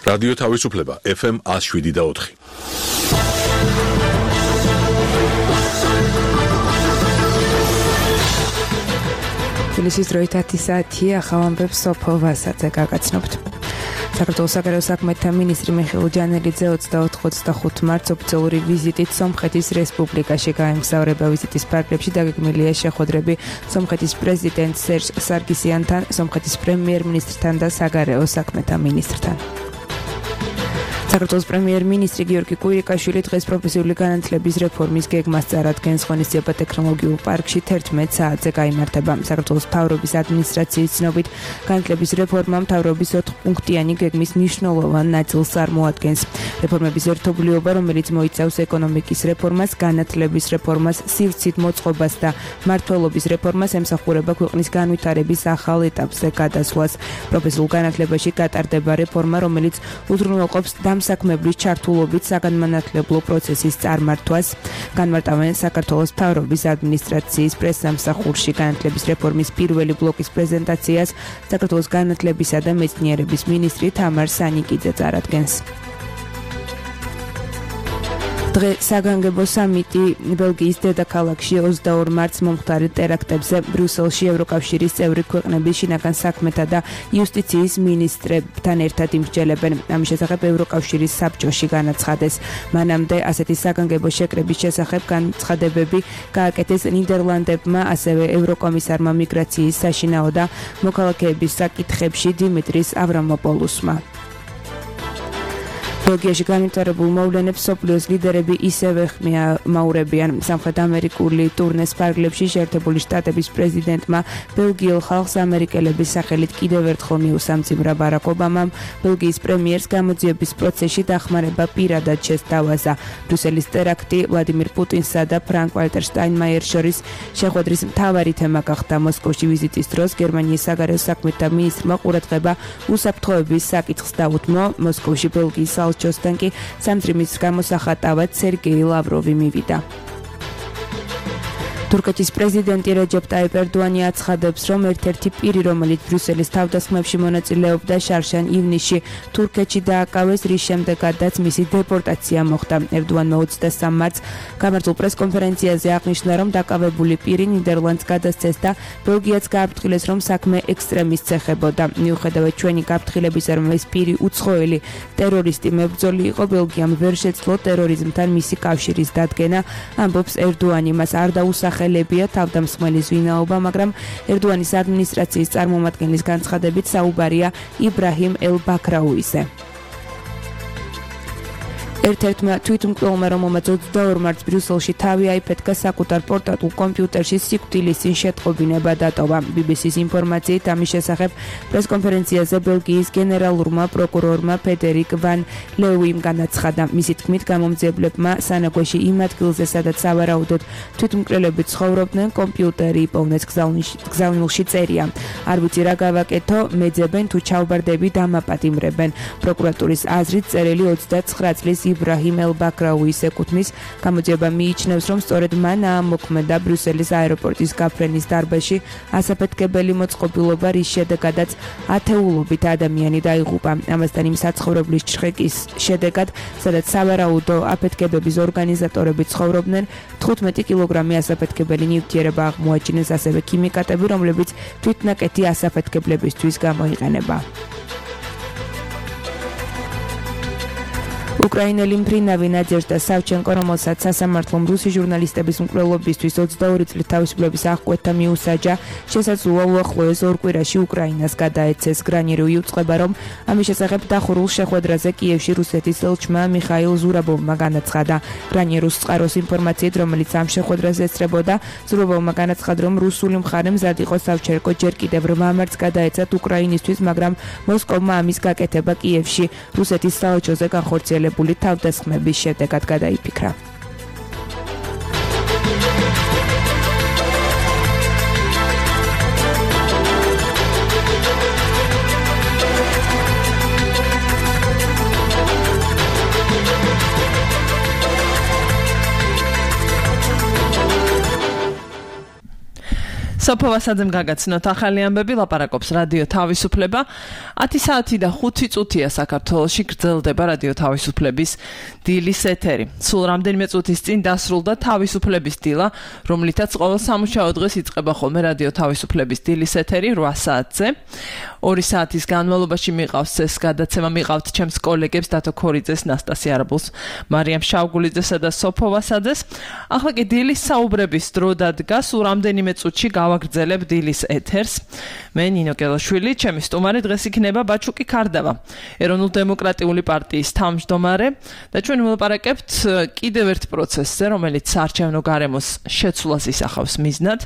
რადიო თავისუფლება FM 107.4. თბილისის დროით 10 საათია, ახალ ამბებს სოფო ვასაძე გაგაცნობთ. საქართველოს საგარეო საქმეთა მინისტრი მიხეილ ჯანელიძე 24-25 მარტს ოფიციალური ვიზიტით სომხეთის რესპუბლიკაში გაემგზავრება. ვიზიტის ფარგლებში დაგეგმილია შეხვედრები სომხეთის პრეზიდენტ სერჟ სარგისიანთან, სომხეთის პრემიერ-მინისტრთან და საგარეო საქმეთა მინისტრთან. საქართველოს პრემიერ-მინისტრი გიორგი კვირიკაშვილი დღეს პროფესიული განათლების რეფორმის გეგმას წარადგენს. ღონისძიება ტექნოლოგიურ პარკში 11 საათზე გაიმართება. საქართველოს მთავრობის ადმინისტრაციის ცნობით, განათლების რეფორმა მთავრობის 4-პუნქტიანი გეგმის მნიშვნელოვან ნაწილს წარმოადგენს. რეფორმების ერთობლიობა, რომელიც მოიცავს ეკონომიკის რეფორმას, განათლების რეფორმას, სივრცით მოწყობას და მმართველობის რეფორმას, ემსახურება ქვეყნის განვითარების ახალ ეტაპზე გადასვლას. პროფესიულ განათლებაში გატარდება რეფორმა, რომელიც უზრუნველყოფს საქმებრივ ჩართულობით საგანმანათლებლო პროცესის წარმართვას. განმარტავენ საქართველოს მთავრობის ადმინისტრაციის პრესსამსახურში განათლების რეფორმის პირველი ბლოკის პრეზენტაციას საქართველოს განათლებისა და მეცნიერების მინისტრი თამარ სანიკიძე წარადგენს. დღეს საგანგებო სამიტი ბელგიის დედაქალაქში 22 მარტს მომხდარი ტერაქტებზე ბრიუსელში ევროკავშირის წევრი ქვეყნების შინაგან საქმეთა და იუსტიციის მინისტრებთან ერთად იმსჯელებენ. ამის შესახებ ევროკავშირის საბჭოში განაცხადეს. მანამდე ასეთი საგანგებო შეკრების შესახებ განცხადებები გააკეთეს ნიდერლანდებმა, ასევე ევროკომისარმა მიგრაციის, საშინაო და მოქალაქეების საკითხებში დიმიტრის ავრამოპოლუსმა. ბელგიაში განვითარებულ მოვლენებს მსოფლიოს ლიდერები ისევე ხმაურებიან. სამხრეთ ამერიკული ტურნეს ფარგლებში შეერთებული შტატების პრეზიდენტმა ბელგიელ ხალხს ამერიკელების სახელით კიდევ ერთხელ მიუსამძიმრა. ბარაკ ობამამ ბელგიის პრემიერს გამოძიების პროცესში დახმარება პირადად შესთავაზა. ბრიუსელის ტერაქტი ვლადიმირ პუტინსა და ფრანკ ვალტერ შტაინმაიერს შორის შეხვედრის მთავარი თემა გახდა. მოსკოვში ვიზიტის დროს გერმანიის საგარეო საქმეთა მინისტრმა ყურადღება უსაფრთხოების საკითხს დაუთმო. მოსკოვში ბელგიის ჯოსთან კი სამძიმრის გამოსახატავად სერგეი ლავროვი მივიდა. თურქეთის პრეზიდენტი რეჯეპ ტაიპ ერდოანი აცხადებს, რომ ერთ-ერთი პირი, რომელიც ბრიუსელის თავდასხმებში მონაწილეობდა, შარშან ივნისში თურქეთში დააკავეს, რის შემდეგაც მისი დეპორტაცია მოხდა. ერდოანმა 23 მარტს გამართულ პრესკონფერენციაზე აღნიშნა, რომ დაკავებული პირი ნიდერლანდს გადასცეს და ბელგიაც გააფრთხილეს, რომ საქმე ექსტრემისტს ეხებოდა. მიუხედავად ჩვენი გაფრთხილებისა, რომ ეს პირი უცხოელი ტერორისტი მებრძოლი იყო, ბელგიამ ვერ შეძლო ტერორიზმთან მისი კავშირის დადგენა, ამბობს ერდოანი. მას არ დაუსახელებია თავდამსხმელის ვინაობა, მაგრამ ერდოანის ადმინისტრაციის წარმომადგენლის განცხადებით საუბარია იბრაჰიმ ელ-ბაქრაუიზე. ერთ-ერთმა თვითმკვლელმა, რომელმაც 22 მარტს ბრიუსელში თავი აიფეთქა საკუთარ პორტატულ კომპიუტერში სიკვდილის წინ შეტყობინება დატოვა. BBC-ს ინფორმაციით ამის შესახებ პრესკონფერენციაზე ბელგიის გენერალურმა პროკურორმა ფედერიკ ვან ლევიმ განაცხადა. მისი თქმით, გამომძიებლებმა სანაგვეში იმ ადგილზე, სადაც სავარაუდოდ თვითმკვლელები ცხოვრობდნენ, კომპიუტერი იპოვნეს. გზავნილში წერია: არ ვიცი რა გავაკეთო, მეძებენ თუ ჩავბარდები დამაპატიმრებენ. პროკურატურის აზრით წერილი 29 წლის იბრაჰიმ ელ-ბაქრაუის ეკუთვნის. გამოძიება მიიჩნევს, რომ სწორედ მან აამოქმედა ბრიუსელის აეროპორტის გაფრენის დარბაზში ასაფეთქებელი მოწყობილობა, რის შედეგადაც ათეულობით ადამიანი დაიღუპა. ამასთან იმ საცხოვრებლის ჩხრეკის შედეგად, სადაც სავარაუდო აფეთქებების ორგანიზატორები ცხოვრობდნენ, 15 კილოგრამი ასაფეთქებელი ნივთიერება აღმოაჩინეს, ასევე ქიმიკატები, რომლებიც თვითნაკეთი ასაფეთქებლებისთვის გამოიყენება. უკრაინელი მფრინავი ნადეჟდა სავჩენკო, რომელსაც სასამართლომ რუსი ჟურნალისტების მკვლელობისთვის 22 წლის თავისუფლების აღკვეთა მიუსაჯა, შესაძლოა უახლოეს ორ კვირაში უკრაინას გადაეცეს. გრანირი უწყება, რომ ამის შესახებ დახურულ შეხვედრაზე კიევში რუსეთის ელჩმა მიხაილ ზურაბოვმა განაცხადა. გრანიერუს წყაროს ინფორმაციით, რომელიც ამ შეხვედრაზე ესწრებოდა, ზურაბოვმა განაცხადა, რომ რუსული მხარე მზად იყო სავჩენკო ჯერ კიდევ 8 მარტს გადაეცათ უკრაინისთვის, მაგრამ მოსკოვმა ამის გაკეთება კიევში რუსეთის საელჩოზე განხორციელებული თავდასხმების შედეგად გადაიფიქრა. სოფოვასაძემ გაგაცნოთ ახალი ამბები, ლაპარაკობს რადიო თავისუფლება. 10 საათი და 5 წუთია საქართველოში გრძელდება რადიო თავისუფლების დილის ეთერი. სულ რამდენიმე წუთის წინ დასრულდა თავისუფლების დილა, რომლითაც ყოველ სამუშაო დღეს იწყება ხოლმე რადიო თავისუფლების დილის ეთერი 8 საათზე. 2 საათის განმავლობაში მიყავს ეს გადაცემა, მიყავთ ჩემს კოლეგებს დათო ქორიძეს, ნასტასია არაბულს, მარიამ შავგულიძესა და სოფოვასაძეს. ახლა კი დილის საუბრების დრო დადგა, სულ რამდენიმე წუთში გავაგრძელებ დილის ეთერს. მე ნინო კელაშვილი, ჩემი სტუმარი დღეს იქნება ბაჩუკი ქარდავა, ეროვნულ-დემოკრატიული პარტიის თავმჯდომარე და ჩვენ ვილაპარაკებთ კიდევ ერთ პროცესზე, რომელიც საარჩევნო გარემოს შეცვლას ისახავს მიზნად.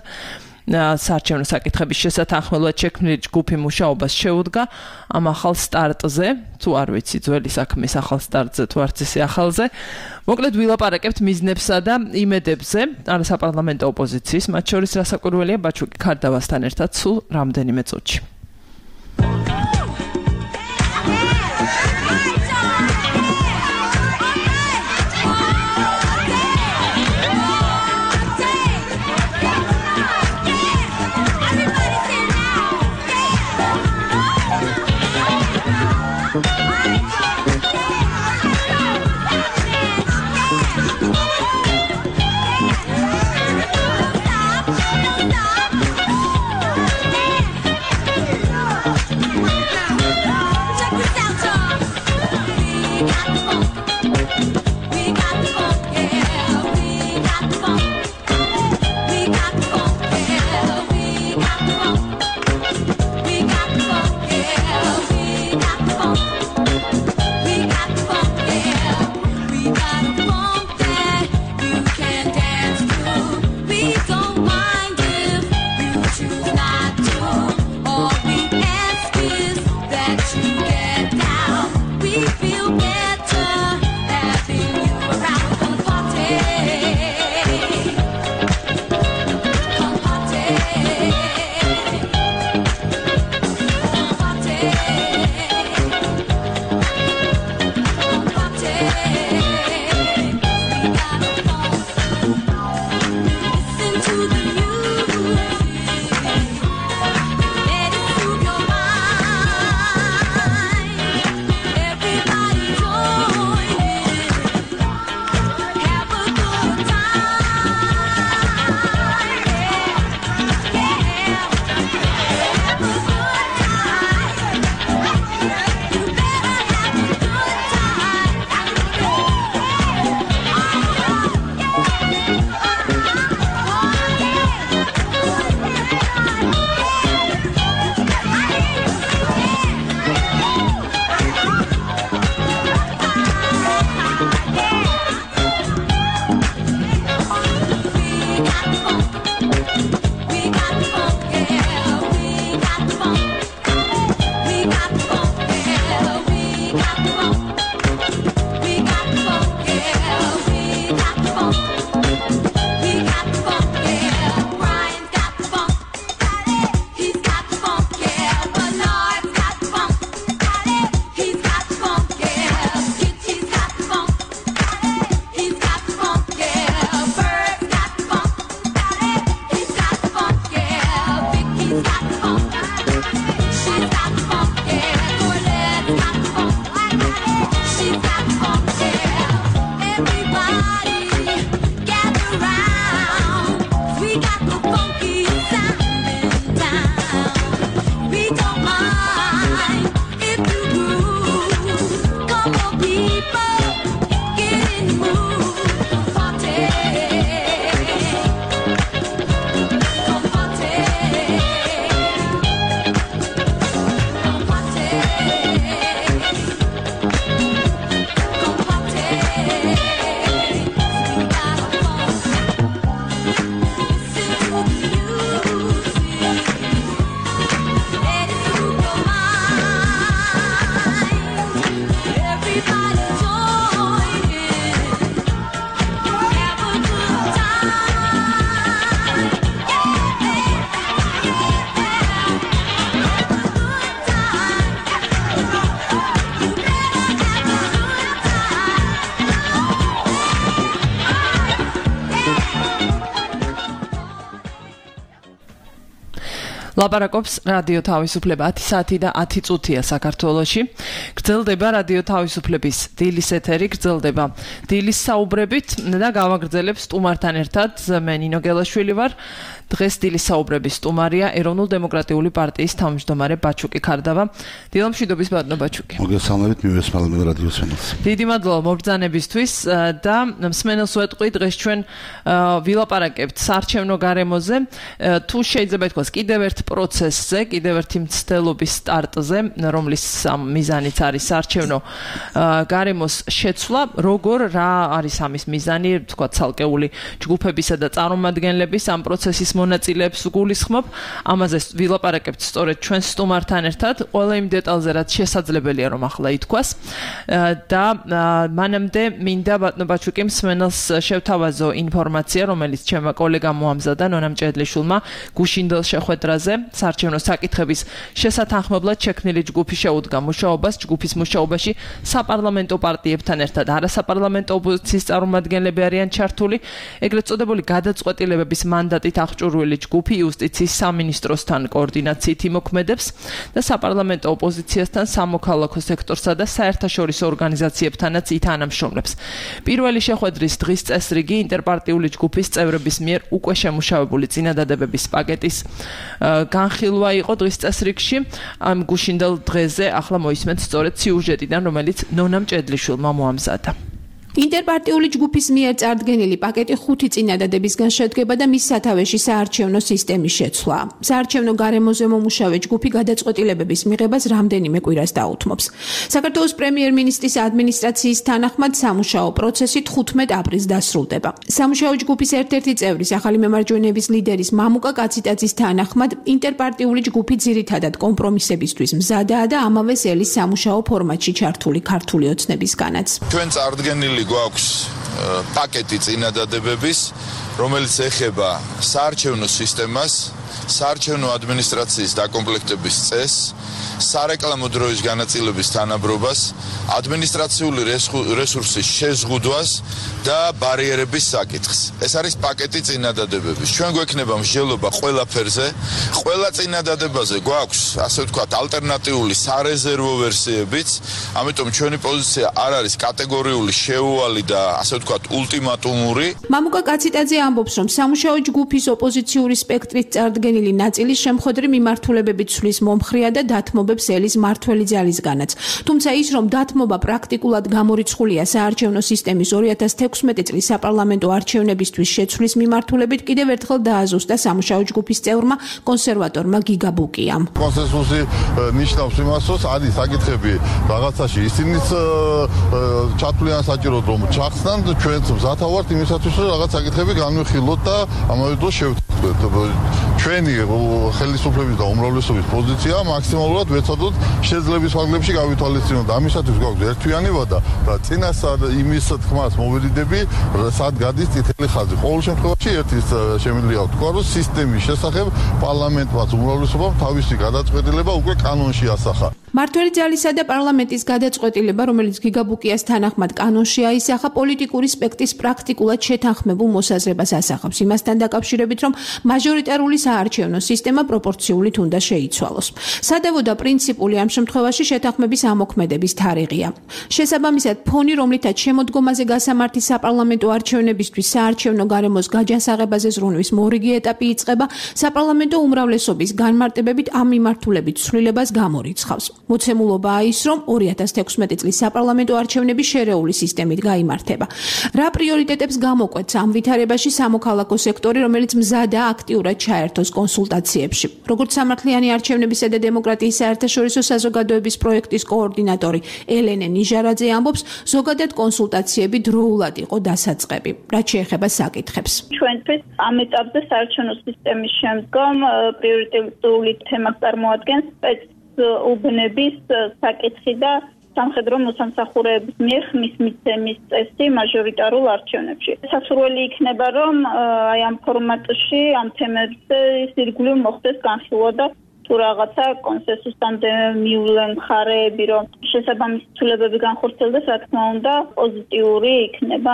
საარჩევნო საკითხების შესათანხმებლად შექმნილი ჯგუფი მუშაობას შეუდგა ამ ახალ სტარტზე, თუ არ ვიცი ძველი საქმის ახალ სტარტზე თუ არც ისე ახალზე. მოკლედ ვილაპარაკებთ მიზნებსა და იმედებზე, არასაპარლამენტო ოპოზიციის, მათ შორის რასაკვირველია ბაჩუკი ქარდავასთან ერთად სულ რამდენიმე წუთში. ლაპარაკობს რადიო თავისუფლება 10 საათი და 10 წუთია საქართველოში. გრძელდება რადიო თავისუფლების დილის ეთერი, გრძელდება დილის საუბრებით და გავაგრძელებ სტუმართან ერთად. მე ნინო გელაშვილი ვარ. დღეს დილის საუბრების სტუმარია ეროვნულ-დემოკრატიული პარტიის თავმჯდომარე ბაჩუკი ქარდავა. დილამშვიდობის ბატონო ბაჩუკი. მოგესალმებით მივესალმებ რადიო სენელს. დიდი მადლობა მობრძანებისთვის და მსმენელს ვეტყვი დღეს ჩვენ ვილაპარაკებთ საარჩევნო გარემოზე. თუ შეიძლება ითქვას კიდევ ერთ პროცესზე, კიდევ ერთი მცდელობის სტარტზე, რომლის მიზანიც არის საარჩევნო გარემოს შეცვლა, როგორ რა არის ამის მიზანი, თქვა ცალკეული ჯგუფებისა და წარმომადგენლების ამ პროცესის მონაწილეებს გულისხმობ. ამაზე ვილაპარაკებთ სწორედ ჩვენ სტუმართან ერთად, ყველა იმ დეტალზე, რაც შესაძლებელია რომ ახლა ითქვას. და მანამდე მინდა ბატონო ბაჩუკი მსმენელს შევთავაზო ინფორმაცია, რომელიც ჩემმა კოლეგამ მოამზადა ნონა მჭედლიშვილმა გუშინდელ შეხვედრაზე საარჩევნო საკითხების შესათანხმებლად შექმნილი ჯგუფი შეუდგა მუშაობას. ჯგუფის მუშაობაში საპარლამენტო პარტიებთან ერთად არასაპარლამენტო ოპოზიციის წარმომადგენლები არიან ჩართული. ეგრეთ წოდებული გადაწყვეტილებების მანდატით აღჭურვილი ჯგუფი იუსტიციის სამინისტროსთან კოორდინაციით იმოქმედებს და საპარლამენტო ოპოზიციასთან სამოქალაქო სექტორსა და საერთაშორისო ორგანიზაციებთანაც ითანამშრომლებს. პირველი შეხვედრის დღის წესრიგი ინტერპარტიული ჯგუფის წევრების მიერ უკვე შემუშავებული წინადადებების პაკეტის განხილვა იყო დღის წესრიგში. ამ გუშინდელ დღეზე ახლა მოისმენთ სწორედ სიუჟეტიდან, რომელიც ნონა მჭედლიშვილმა მოამზადა. ინტერპარტიული ჯგუფის მიერ წარდგენილი პაკეტი 5 წინადადებისგან შედგება და მის სათავეში საარჩევნო სისტემის შეცვლა. საარჩევნო გარემოზე მომუშავე ჯგუფი გადაწყვეტილებების მიღებას რამდენიმე კვირას დაუთმობს. საქართველოს პრემიერ-მინისტრის ადმინისტრაციის თანახმად სამუშაო პროცესი 15 აპრილს დასრულდება. სამუშაო ჯგუფის ერთ-ერთი წევრის ახალი მემარჯვენეების ლიდერის მამუკა კაციტაძის თანახმად ინტერპარტიული ჯგუფი ძირითადად კომპრომისებისთვის მზადაა და ამავე წელის სამუშაო ფორმატში ჩართული ქართული ოცნებისგანაც. ჩვენ წარდგენილი გვაქვს პაკეტი წინადადებების, რომელიც ეხება საარჩევნო სისტემას, საარჩევნო ადმინისტრაციის დაკომპლექტების წესს, სარეკლამო დროის განაწილების თანაბრობას, ადმინისტრაციული რესურსის შეზღუდვას და ბარიერების საკითხს. ეს არის პაკეტი წინადადებების. ჩვენ გვექნება მსჯელობა ყველაფერზე, ყველა წინადადებაზე გვაქვს, ასე ვთქვათ, ალტერნატიული სარეზერვო ვერსიებიც, ამიტომ ჩვენი პოზიცია არ არის კატეგორიული, შეუვალი და ასე ვთქვათ, ულტიმატუმური. მამუკა კაციტაძე ამბობს, რომ სამუშაო ჯგუფის ოპოზიციური სპექტრის წარდგენილი ნაწილი შემხედრი მიმართულებებით ცვლის მომხრია და დათმობებს ელის მართველი ძალისგანაც. თუმცა ის, რომ დათმობა პრაქტიკულად გამორიცხულია საარჩევნო სისტემის 2016 წლის საპარლამენტო არჩევნებისთვის შეცვლის მიმართულებით, კიდევ ერთხელ დააზუსტა სამუშაო ჯგუფის წევრმა კონსერვატორმა გიგა ბუკიამ. კონსენსუსი ნიშნავს იმას, რომ არის საკითხები რაღაცაში ისინიც ჩათვლიან საჭიროდ რომ ჩახსნან, ჩვენც მზათა ვართ იმისათვის, რომ რაღაც საკითხები განვიხილოთ და ამავე დროს შევთქვათ. ჩვენი ხელისუფლების და უმრავლესობის პოზიცია მაქსიმალურად ვეცადოთ შეძლების ფარგლებში გავითვალისწინოთ. ამისათვის გვაქვს ერთვიანი ვადა და წინასწარ იმის თქმას მოვერიდები, სად გადის წითელი ხაზი. ყოველ შემთხვევაში ერთის შემიძლია ვთქვა, რომ სისტემის შესახებ პარლამენტმაც უმრავლესობამ თავისი გადაწყვეტილება უკვე კანონში ასახა. მართველი ძალისა და პარლამენტის გადაწყვეტილება, რომელიც გიგა ბუკიას თანახმად კანონში აისახა, პოლიტიკური სპექტრის პრაქტიკულად შეთანხმებულ მოსაზრებას ასახავს იმასთან დაკავშირებით, რომ მაჟორიტარული საარჩევნო სისტემა პროპორციულით უნდა შეიცვალოს. სადავო და პრინციპული ამ შემთხვევაში შეთანხმების ამოქმედების თარიღია. შესაბამისად, ფონი, რომლითაც შემოდგომაზე გასამართი საპარლამენტო არჩევნებისთვის საარჩევნო გარემოს გაჯანსაღებაზე ზრუნვის მორიგი ეტაპი იწყება, საპარლამენტო უმრავლესობის განმარტებებით ამ მიმართულებით ცვლილებას გამორიცხავს. მოცემულობაა ის, რომ 2016 წლის საპარლამენტო არჩევნები შერეული სისტემით გაიმართება. რა პრიორიტეტებს გამოკვეთს ამ ვითარებაში სამოქალაქო სექტორი, რომელიც მზადაა აქტიურად ჩაერთოს კონსულტაციებში. როგორც სამართლიანი არჩევნებისა და დემოკრატიის საერთაშორისო საზოგადოების პროექტის კოორდინატორი ელენე ნიჟარაძე ამბობს, ზოგადად კონსულტაციები დროულად იყო დასაწყები, რაც შეეხება საკითხებს. ჩვენთვის ამ ეტაპზე საარჩევნო სისტემის შემდგომ პრიორიტეტული თემას წარმოადგენს უბნების საკითხი და სამხედრო მოსამსახურეების მიერ ხმის მიცემის წესი მაჟორიტარულ არჩევნებში. სასურველი იქნება, რომ აი ამ ფორმატში ამ თემებზე ირგვლივ მოხდეს განხილვა და თუ რაღაცა კონსენსუსამდე მიულენ მხარეები, რომ შესაბამისი ცვლილებები განხორციელდეს, რა თქმა უნდა, პოზიტიური იქნება.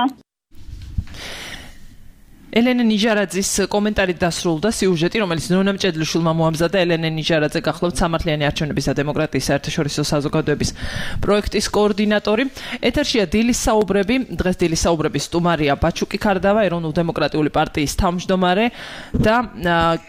ელენე ნიჟარაძის კომენტარით დასრულდა სიუჟეტი, რომელიც ნონა მჭედლიშვილმა მოამზადა. ელენე ნიჟარაძე გახლავთ სამართლიანი არჩევნების და დემოკრატიის საერთაშორისო საზოგადოების პროექტის კოორდინატორი. ეთერშია დილის საუბრები. დღეს დილის საუბრების სტუმარია ბაჩუკი ქარდავა, ეროვნულ-დემოკრატიული პარტიის თავმჯდომარე და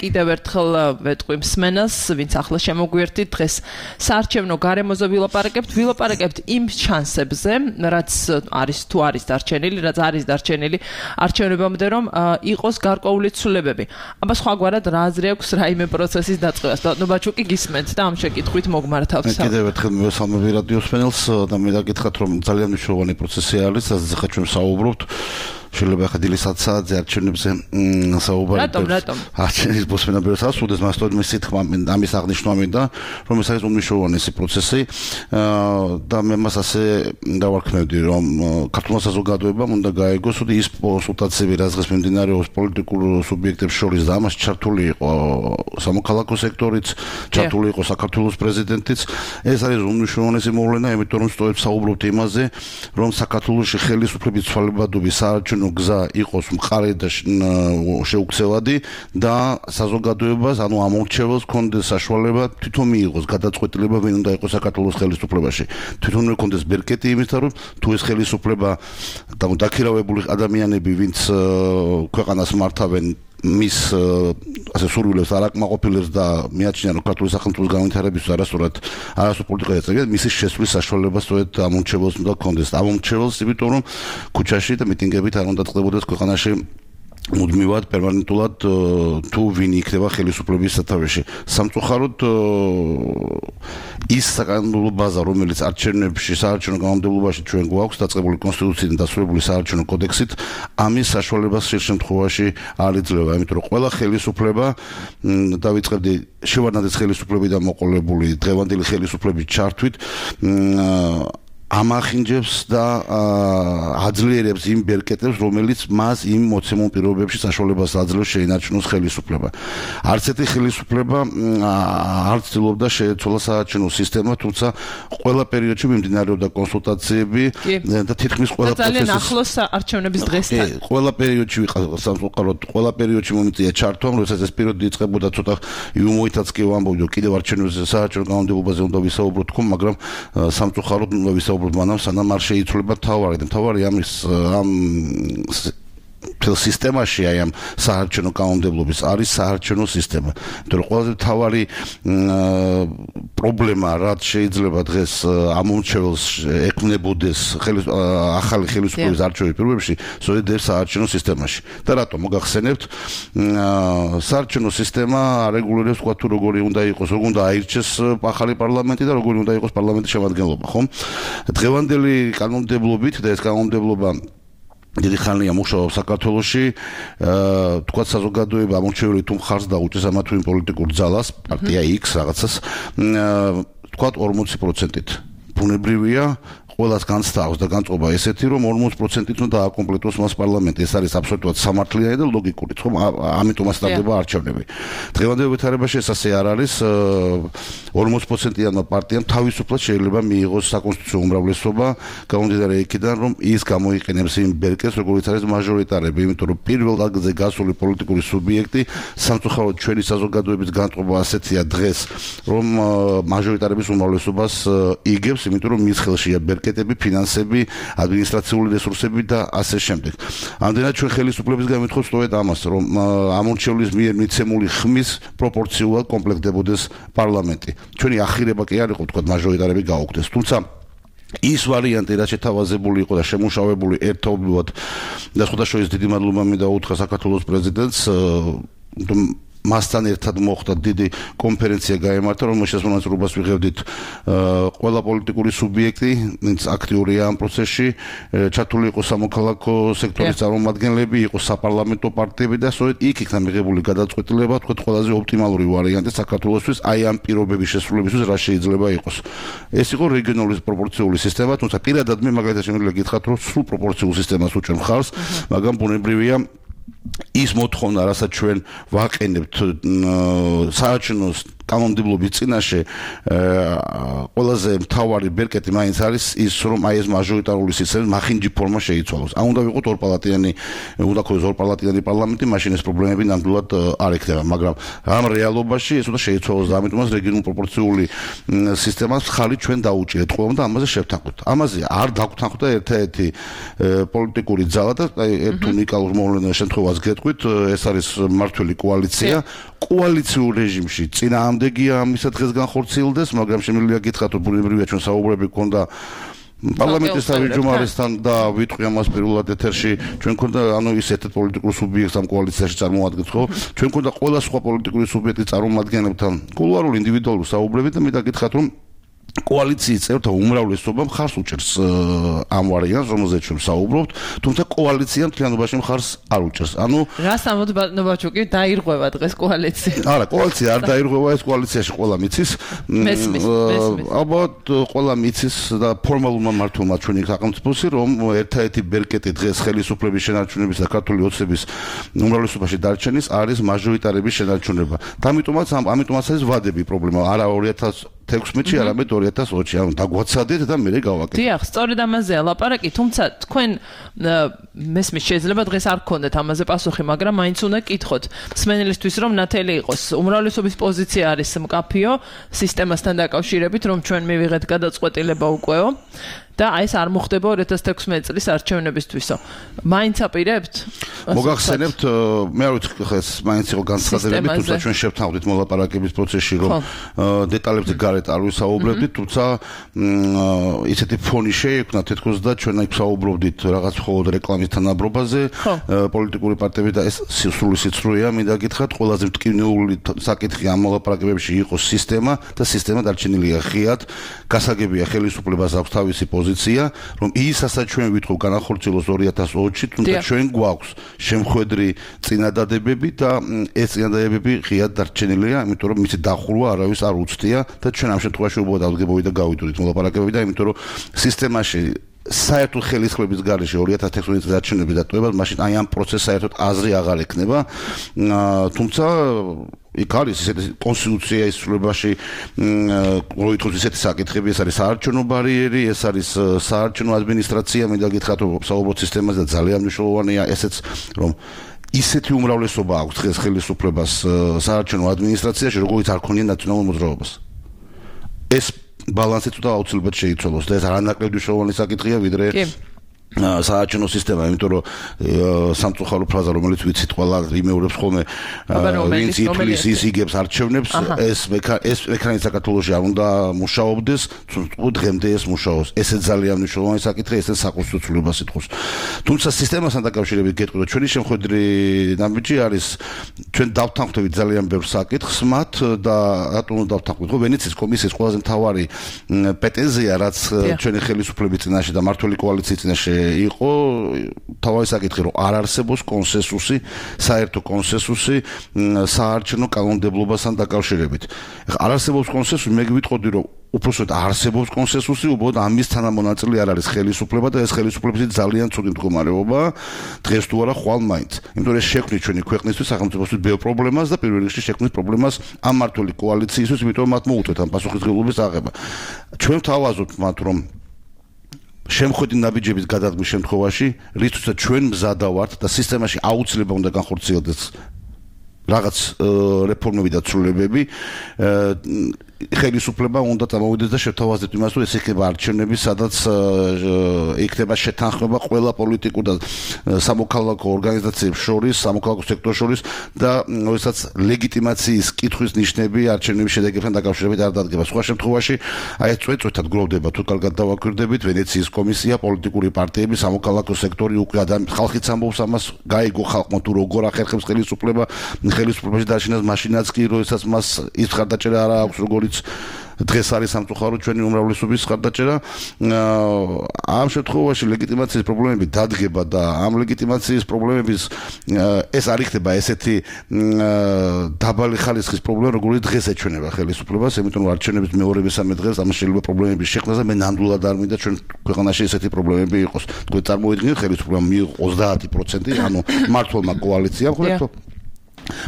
კიდევ ერთხელ ვეტყვი მსმენელს, ვინც ახლა შემოგვიერთით, დღეს საარჩევნო გარემოზე ვილაპარაკებთ იმ შანსებზე, რაც არის დარჩენილი, რაც არის დარჩენილი არჩევნებამდე, რომ იყოს გარკვეული ცვლილებები. აბა სხვაგვარად რა აზრი აქვს რაიმე პროცესის დაწყებას? ბატონო ბაჩუკი გისმენთ და ამ შეკითხვით მოგმართავთ. კიდევ ერთხელ მივესალმები რადიო მსმენელს და მე დაგითხრათ, რომ ძალიან მნიშვნელოვანი პროცესი არის, სადაც ახლა ჩვენ საუბრობთ. შეიძლება ახლა დილის 10 საათზე არჩევნებზე საუბარი. რატომ? არჩევნების მოსმენა ბევრს ასრულებს, მას თორემ მისი თქმა ამის აღნიშვნა მინდა, რომ ეს არის უმნიშვნელოვანესი პროცესი და მე მას ასე დავარქმევდი, რომ ქართულმა საზოგადოებამ უნდა გაეგოს, ότι ის კონსულტაციები, რაც დღეს მიმდინარეობს პოლიტიკურ სუბიექტებს შორის და ამას ჩართული იყო სამოქალაქო სექტორიც, ჩართული იყო საქართველოს პრეზიდენტიც, ეს არის უმნიშვნელოვანესი მოვლენა, იმიტომ რომ სწორედ საუბრობთ იმაზე, რომ საქართველოში ხელისუფლების ცვალებადობის საარჩევნო გზა იყოს მყარი და შეუქცევადი და საზოგადოებას, ანუ ამორჩეველს კონდეს საშუალება თვითონ მიიღოს გადაწყვეტილება, ვინ უნდა იყოს საქართველოს ხელისუფლებაში. თვითონ კონდეს ბერკეტი იმისთან, რომ თუ ეს ხელისუფლება და დაქირავებული ადამიანები, ვინც ქვეყანას მართავენ, მის ასე სურვილებს არ აკმაყოფილებს და მიაჩნია, რომ ქართული სახელმწიფოს განვითარებისთვის არასწორად პოლიტიკა ეწევიან, მისი შესვლის საშუალება სწორედ ამორჩეველს უნდა კონდეს. ამორჩეველს, იმიტომ რომ ქუჩაში და მიტინგებით არ უნდა წყდებოდეს ქვეყანაში მუდმივად პერმანენტულად თუ ვინ იქნება ხელისუფლების სათავეში. სამწუხაროდ ის საკანონმდებლო ბაზა, რომელიც არჩევნებში, საარჩევნო კანონმდებლობაში ჩვენ გვაქვს დაწყებული კონსტიტუციიდან დასრულებული საარჩევნო კოდექსით, ამის საშუალებას ხშირ შემთხვევაში არ იძლევა, იმიტომ რომ ყველა ხელისუფლება დავიწყებდი შევარდნადეს ხელისუფლებიდან მოყოლებული დღევანდელი ხელისუფლების ჩართვით ამახინჯებს და აძლიერებს იმ ბერკეტებს, რომელიც მას იმ მოცემულ პირობებში საშუალებას აძლევს შეინარჩუნოს ხელისუფლება. არც ერთი ხელისუფლება არ ცდილობდა შეეცვალა საარჩევნო სისტემა, თუმცა ყველა პერიოდში მიმდინარეობდა კონსულტაციები და თითქმის ყველა პროცესი ძალიან ახლოს არჩევნების დღესთან. ყველა პერიოდში სამწუხაროდ ყველა პერიოდში მომიწია ჩართვამ, როდესაც ეს პერიოდი იწყებოდა ცოტა იუმოითაც კი ვამბობ, რომ კიდევ არჩევნებზე საარჩევნო კანონმდებლობაზე უნდა ვისაუბროთ თქო, მაგრამ სამწუხაროდ უნდა ვისაუბროთ მანამ სანამ არ შეიცვლება თავარი და თავარი ამის ამ მთელ სისტემაში აი ამ საარჩევნო კანონმდებლობის არის საარჩევნო სისტემა. იმიტომ რომ ყველაზე თავარი პრობლემა რაც შეიძლება დღეს ამორჩეველს ექმნებოდეს ახალი ხელისუფლების არჩევნების პირობებში, სწორედ ეს საარჩევნო სისტემაში. და რატომ მოგახსენებთ საარჩევნო სისტემა არეგულირებს თქვა თუ როგორი უნდა იყოს, როგორ უნდა აირჩეს ახალი პარლამენტი და როგორი უნდა იყოს პარლამენტის შემადგენლობა, ხო? დღევანდელი კანონმდებლობით და ეს კანონმდებლობა დიდი ხანია მუშაობს საქართველოში, თქვა საზოგადოება ამორჩეველი თუ მხარს დაუჭერს ამა თუ იმ პოლიტიკურ ძალას, პარტია X რაღაცას, თქვა 40%-ით. ბუნებრივია ყველას განსწავს და განწყობა ესეთი, რომ 40%-ით უნდა დააკომპლექტოს მას პარლამენტი. ეს არის აბსოლუტურად სამართლიანი და ლოგიკური, ხო? ამიტომაც ტარდება არჩევნები. დღევანდელ ვითარებაში ეს ასე არ არის. 40%-იანმა პარტიამ თავისუფლად შეიძლება მიიღოს საკონსტიტუციო უმრავლესობა, გამომდინარე იქიდან, რომ ის გამოიყენებს იმ ბერკეტს, როგორც არის მაჟორიტარები, იმიტომ რომ პირველ ადგილზე გასული პოლიტიკური სუბიექტი, სამწუხაროდ ჩვენი საზოგადოების განწყობა ასეთია დღეს, რომ მაჟორიტარების უმრავლესობას იგებს, იმიტომ რომ მის ხელშია ბერკეტები, ფინანსები, ადმინისტრაციული რესურსები და ასე შემდეგ. ამდენად ჩვენ ხელისუფლების გამეთხოვს სწორედ ამას, რომ ამორჩევლის მიერ მიცემული ხმის პროპორციულად კომპლექტდებოდეს პარლამენტი. ჩვენი ახირება კი არ იყო, თქვა მაჟორიტარები გაუქმდეს. თუმცა ის ვარიანტი, რაც შეთავაზებული იყო და შემუშავებული ერთობლივად და სხვადასხვა დიდი მადლობა მინდა უთხრა საქართველოს პრეზიდენტს, მასთან ერთად მოხდა დიდი კონფერენცია გაემართა, რომელშიც მონაწილეობას ვიღებდით ყველა პოლიტიკური სუბიექტი, ვინც აქტიურია ამ პროცესში, ჩართული იყო სამოქალაქო სექტორის წარმომადგენლები, იყო საპარლამენტო პარტიები და სწორედ იქ იქნა მიღებული გადაწყვეტილება, თქვა ყველაზე ოპტიმალური ვარიანტი საქართველოსთვის, აი ამ პირობების შესრულებისთვის რა შეიძლება იყოს. ეს იყო რეგიონალური პროპორციული სისტემა, თუმცა პირადად მე მაგალითად შემიძლია გითხრათ, რომ სრულ პროპორციულ სისტემას უჭერ მხარს, მაგრამ ბუნებრივია ის მოთხოვნა, რასაც ჩვენ ვაყენებთ საარჩევნო კანონმდებლობის წინაშე ყველაზე მთავარი ბერკეტი მაინც არის ის, რომ აი ეს მაჟორიტარული სისტემა მახინჯი ფორმა შეიცვალოს. ან უნდა ვიყოთ ორპალატიანი, უნდა ქონდეს ორპალატიანი პარლამენტი, მაშინ ეს პრობლემები ნამდვილად არ ექნება, მაგრამ ამ რეალობაში ეს უნდა შეიცვალოს და ამიტომაც რეგიონულ პროპორციული სისტემას ხალი ჩვენ დაუჭირეთ ყველამ და ამაზე შევთანხმდით. ამაზე არ დაგვთანხმდა ერთ-ერთი პოლიტიკური ძალა და ერთ უნიკალურ მოვლენას შემთხვევას გეტყვით, ეს არის მმართველი კოალიცია. კოალიციურ რეჟიმში წინააღმდეგია ამისა დღეს განხორციელდეს, მაგრამ შემიძლია გითხრათ, რომ ბუნებრივია ჩვენ საუბრები გქონდა პარლამენტის თავმჯდომარესთან და ვიტყვი ამას პირველად ეთერში, ჩვენ გქონდა ის ერთ პოლიტიკურ სუბიექტს ამ კოალიციაში წარმოადგენს, ხო? ჩვენ გქონდა ყველა სხვა პოლიტიკური სუბიექტის წარმომადგენლებთან კულუარული ინდივიდუალური საუბრები და მე დაგითხრათ, რომ კოალიციის წევრთა უმრავლესობა მხარს უჭერს ამ ვარიანტს, რომელზეც ჩვენ საუბრობთ, თუმცა კოალიცია მთლიანობაში მხარს არ უჭერს. ანუ რას ამბობთ ნოვაჩუკი, დაირღვევა დღეს კოალიცია? არა, კოალიცია არ დაირღვევა, ეს კოალიციაში ყველა მიცის. ალბათ ყველა მიცის და ფორმალურმა მმართველმა ჩვენი სახელმწიფოსი, რომ ერთ-ერთი ბერკეტი დღეს ხელისუფლების შენარჩუნების და ქართული ოცნების უმრავლესობაში დარჩენის არის მაჟორიტარების შენარჩუნება. და ამიტომაც არის ვადები პრობლემა, არა 2016-ში, არამედ 2020-ში, ანუ დაგვაცადეთ და მერე გავაკეთეთ. დიახ, სწორედ ამაზეა ლაპარაკი, თუმცა თქვენ მესმის შეიძლება დღეს არ გქონდეთ ამაზე პასუხი, მაგრამ მაინც უნდა გკითხოთ მსმენელისთვის, რომ ნათელი იყოს უმრავლესობის პოზიცია არის მკაფიო სისტემასთან დაკავშირებით, რომ ჩვენ მივიღეთ გადაწყვეტილება უკვე და აი ეს არ მოხდება 2016 წლის არჩევნებისთვისო. მაინც აპირებთ? მოგახსენებთ, მე არ ვიცი ხა ეს მაინც იყო განცხადებები, თუმცა ჩვენ შევთანხმდით მოლაპარაკების პროცესში, რომ დეტალებზე გარეთ არ ვისაუბრებდით, თუმცა ისეთი ფონი შეიქმნა თითქოს და ჩვენ აქ საუბრობდით რაღაც მხოლოდ რეკლამის თანაბრობაზე, პოლიტიკური პარტიები და ეს სრული სიცრუეა, მინდა გითხრათ, ყველაზე მტკივნეული საკითხი ამ მოლაპარაკებებში იყო სისტემა და სისტემა დარჩენილია ღიად, გასაგებია ხელისუფლებას აქვს თავისი პოზიცია, რომ ისაც ჩვენ ვითხოვ განახორციელოს 2020-ში, თუმცა ჩვენ გვაქვს შემხვედრი წინადადებები და ეს წინადადებები ღიად დარჩენილია, იმიტომ რომ მისი დახურვა არავის არ უცდია და ჩვენ ამ შემთხვევაში უბრალოდ ავდგებოდით და გავიდოდით მოლაპარაკებები და იმიტომ რომ სისტემაში საერთოდ ხელისხლების გარეშე 2016 წლის არჩევნების დატოვებას, მაშინ აი ამ პროცესს საერთოდ აზრი აღარ ექნება, თუმცა იქ არის ისეთი კონსტიტუცია ისრულებაში როითქოს ისეთი საკითხები, ეს არის საარჩევნო ბარიერი, ეს არის საარჩევნო ადმინისტრაცია, მინდა გითხრათ, რომ საუბრობთ სისტემაზე და ძალიან მნიშვნელოვანია ესეც, რომ ისეთი უმრავლესობა აქვს დღეს ხელისუფლებას საარჩევნო ადმინისტრაციაში, როგორც არ ქონია ნაციონალურ მოძრაობას. ეს ბალანსი თუ აუცილებლად შეიცვალოს და ეს არანაკლები მნიშვნელოვანი საკითხია, ვიდრე საარჩევნო სისტემა, იმიტომ რომ სამწუხარო ფრაზა, რომელიც ვიცით ყველა იმეორებს ხოლმე, ვინც ითვლის ის იგებს არჩევნებს, ეს მექანიზმი საქართველოში არ უნდა მუშაობდეს, დღემდე ეს მუშაობს. ესე ძალიან მნიშვნელოვანი საკითხია, ესე საკონსტიტუციურობას ითხოვს. თუმცა სისტემასთან დაკავშირებით გეტყვი, რომ ჩვენი შემხვედრი ნაბიჯი არის, ჩვენ დავთანხმდებით ძალიან ბევრ საკითხს მათ და რატომ უნდა დავთანხმდეთ? ხო, ვენეციის კომისიის ყველაზე მთავარი პრეტენზია, რაც ჩვენი ხელისუფლების წინაშე და მმართველი კოალიციის წინაშე იყო თავისი საკითხი, რომ არ არსებობს კონსენსუსი, საერთო კონსენსუსი საარჩევნო კანონმდებლობასთან დაკავშირებით. არ არსებობს კონსენსუსი, მე გვიტყოდი, რომ უпроსტოდ არსებობს კონსენსუსი, უბრალოდ ამის თანამონაწილე არ არის ხელისუფლება და ეს ხელისუფლების ძალიან ცუდი მდგომარეობა დღეს თუ არა ხვალ მაინც. იმიტომ რომ ეს შექმნის ჩვენი ქვეყნისთვის, სახელმწიფოსთვის ბევრ პრობლემას და პირველ რიგში შექმნის პრობლემას ამ მმართველი კოალიციისთვის, იმიტომ რომ მათ მოუწევთ ამ პასუხისმგებლობის აღება. ჩვენ ვთავაზობთ მათ, რომ შემხვედი ნაბიჯების გადადგმის შემთხვევაში, რითაც ჩვენ მზადა ვართ და სისტემაში აუცილებლად უნდა განხორციელდეს რაღაც რეფორმები და ცვლილებები, ხელისუფლება უნდა წამოვიდეს და შევთავაზეთ იმას, რომ ეს იქნება არჩევნები, სადაც იქნება შეთანხმება ყველა პოლიტიკურ და სამოქალაქო ორგანიზაციებს შორის, სამოქალაქო სექტორს შორის და როდესაც ლეგიტიმაციის კითხვის ნიშნები არჩევნების შედეგებთან დაკავშირებით არ დადგება. სხვა შემთხვევაში აი ეს წვეთად გროვდება, თუ კარგად დავაკვირდებით, ვენეციის კომისია, პოლიტიკური პარტიები, სამოქალაქო სექტორი უკვე ხალხიც ამბობს ამას, გაიგო ხალხმა თუ როგორ ახერხებს ხელისუფლებაში დაშინას, მაშინაც კი როდესაც მას ის ხარდაჭერა არ აქვს, როგორც დღეს არის სამწუხარო ჩვენი უმრავლესობის ხარდაჭერა. ამ შემთხვევაში ლეგიტიმაციის პრობლემები დადგება და ამ ლეგიტიმაციის პრობლემების ეს არ იქნება ესეთი დაბალი ხარისხის პრობლემა, როგორც დღეს ეჩვენება ხელისუფლებას, იმიტომ რომ არჩევნების მეორე მესამე დღეს ამ შეიძლება პრობლემების შექმნას და მე ნამდვილად არ მინდა ჩვენ ქვეყანაში ესეთი პრობლემები იყოს. თქვენ წარმოიდგინეთ, ხელისუფლებამ მიიღო 30%, ანუ მმართველმა კოალიციამ, ხო?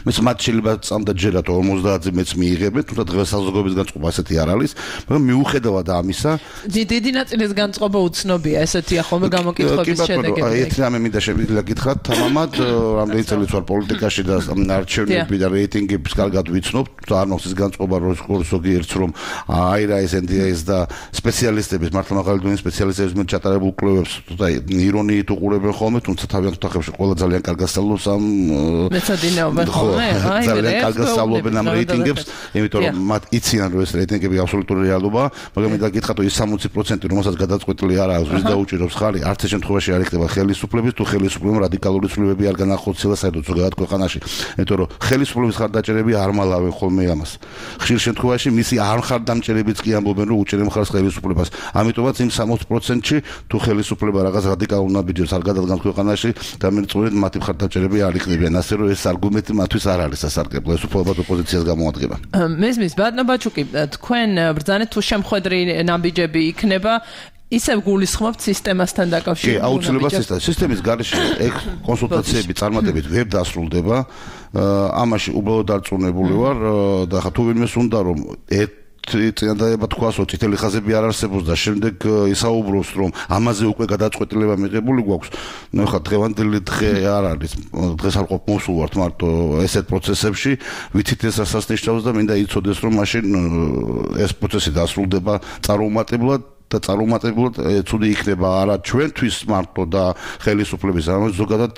მეც მათ შეიძლება წამდა ჯერათ 50-ზე მეც მიიღებენ, თუმცა დღეს საზოგადოების განწყობა ასეთი არ არის, მაგრამ მიუხედავად ამისა, დიდი ნაწილის განწყობა უცნობია, ესეთია ხოლმე გამოკითხების შედეგები. კი, ერთი რამე მინდა შემიძლია გითხრათ, თამამად, რამდენი წელიც ვარ პოლიტიკაში და არჩევნები და რეიტინგების კარგად ვიცნობ, არ მოხდეს განწყობა ზოგიერთს რომ აირაის NDIS და სპეციალისტების მართლა მაღალი დონის სპეციალისტების მე ჩატარებულ კვლევებს და ირონიით უყურებენ ხოლმე, თუმცა თავიანთ ოთახებში ყველა ძალიან კარგად სწავლობს ამ მეცადინეობენ ხოლმე, ძალიან კარგად სწავლობენ ამ რეიტინგებს, იმიტომ რომ მათ იციან რომ ეს რეიტინგები აბსოლუტური რეალობაა, მაგრამ მინდა გითხრათ რომ ის 60%, რომელსაც გადაწყვეტილი არ აქვს, ვის დაუჭირავს ხარი, არც ეს შემთხვევაში არ იქნება ხელისუფლების, თუ ხელისუფლებამ რადიკალური ცვლილებები არ განახორციელა საერთოდ ზოგადად ქვეყანაში, იმიტომ რომ ხელისუფლების ხარდაჭერები არ მალავენ ხოლმე ამას. ხშირ შემთხვევაში მისი არ ხარდამჭერებიც კი ამბობენ რომ უჭერენ მხარს ხელისუფლებას. ამიტომაც იმ 60%-ში თუ ხელისუფლება რაღაც რადიკალურ ნაბიჯებს არ გადადგამს ქვეყანაში, დამერწმუნებით მათი ხარდაჭერები არ იქნებიან, ასე რომ ეს არგუმენტი მათთვის არ არის სასარგებლო, ეს უბრალოდ ოპოზიციას გამოადგება. მესმის ბატონო ბაჩუკი, თქვენ ბრძანეთ თუ შემხედრი ნაბიჯები იქნება ისევ გულისხმობთ სისტემასთან დაკავშირებით. კი, აუცილებლად სისტემის გარეშე ეგ კონსულტაციები წარმატებით ვერ დასრულდება. ამაში უბრალოდ დარწმუნებული ვარ და ხა თუ ვინმეს უნდა რომ წინადადება თქვას რომ წითელი ხაზები არ არსებობს და შემდეგ ისაუბროს რომ ამაზე უკვე გადაწყვეტილება მიღებული გვაქვს. ნუ ხა დღევანდელი დღე არ არის. დღეს არ ყოფ მოსულ ვართ მარტო ესეთ პროცესებში, ვიცით ეს რასაც ნიშნავს და მინდა იცოდეს რომ მაშინ ეს პროცესი დასრულდება წარუმატებლად და წარუმატებლად ცუდი იქნება არა ჩვენთვის მარტო და ხელისუფლების, არამედ ზოგადად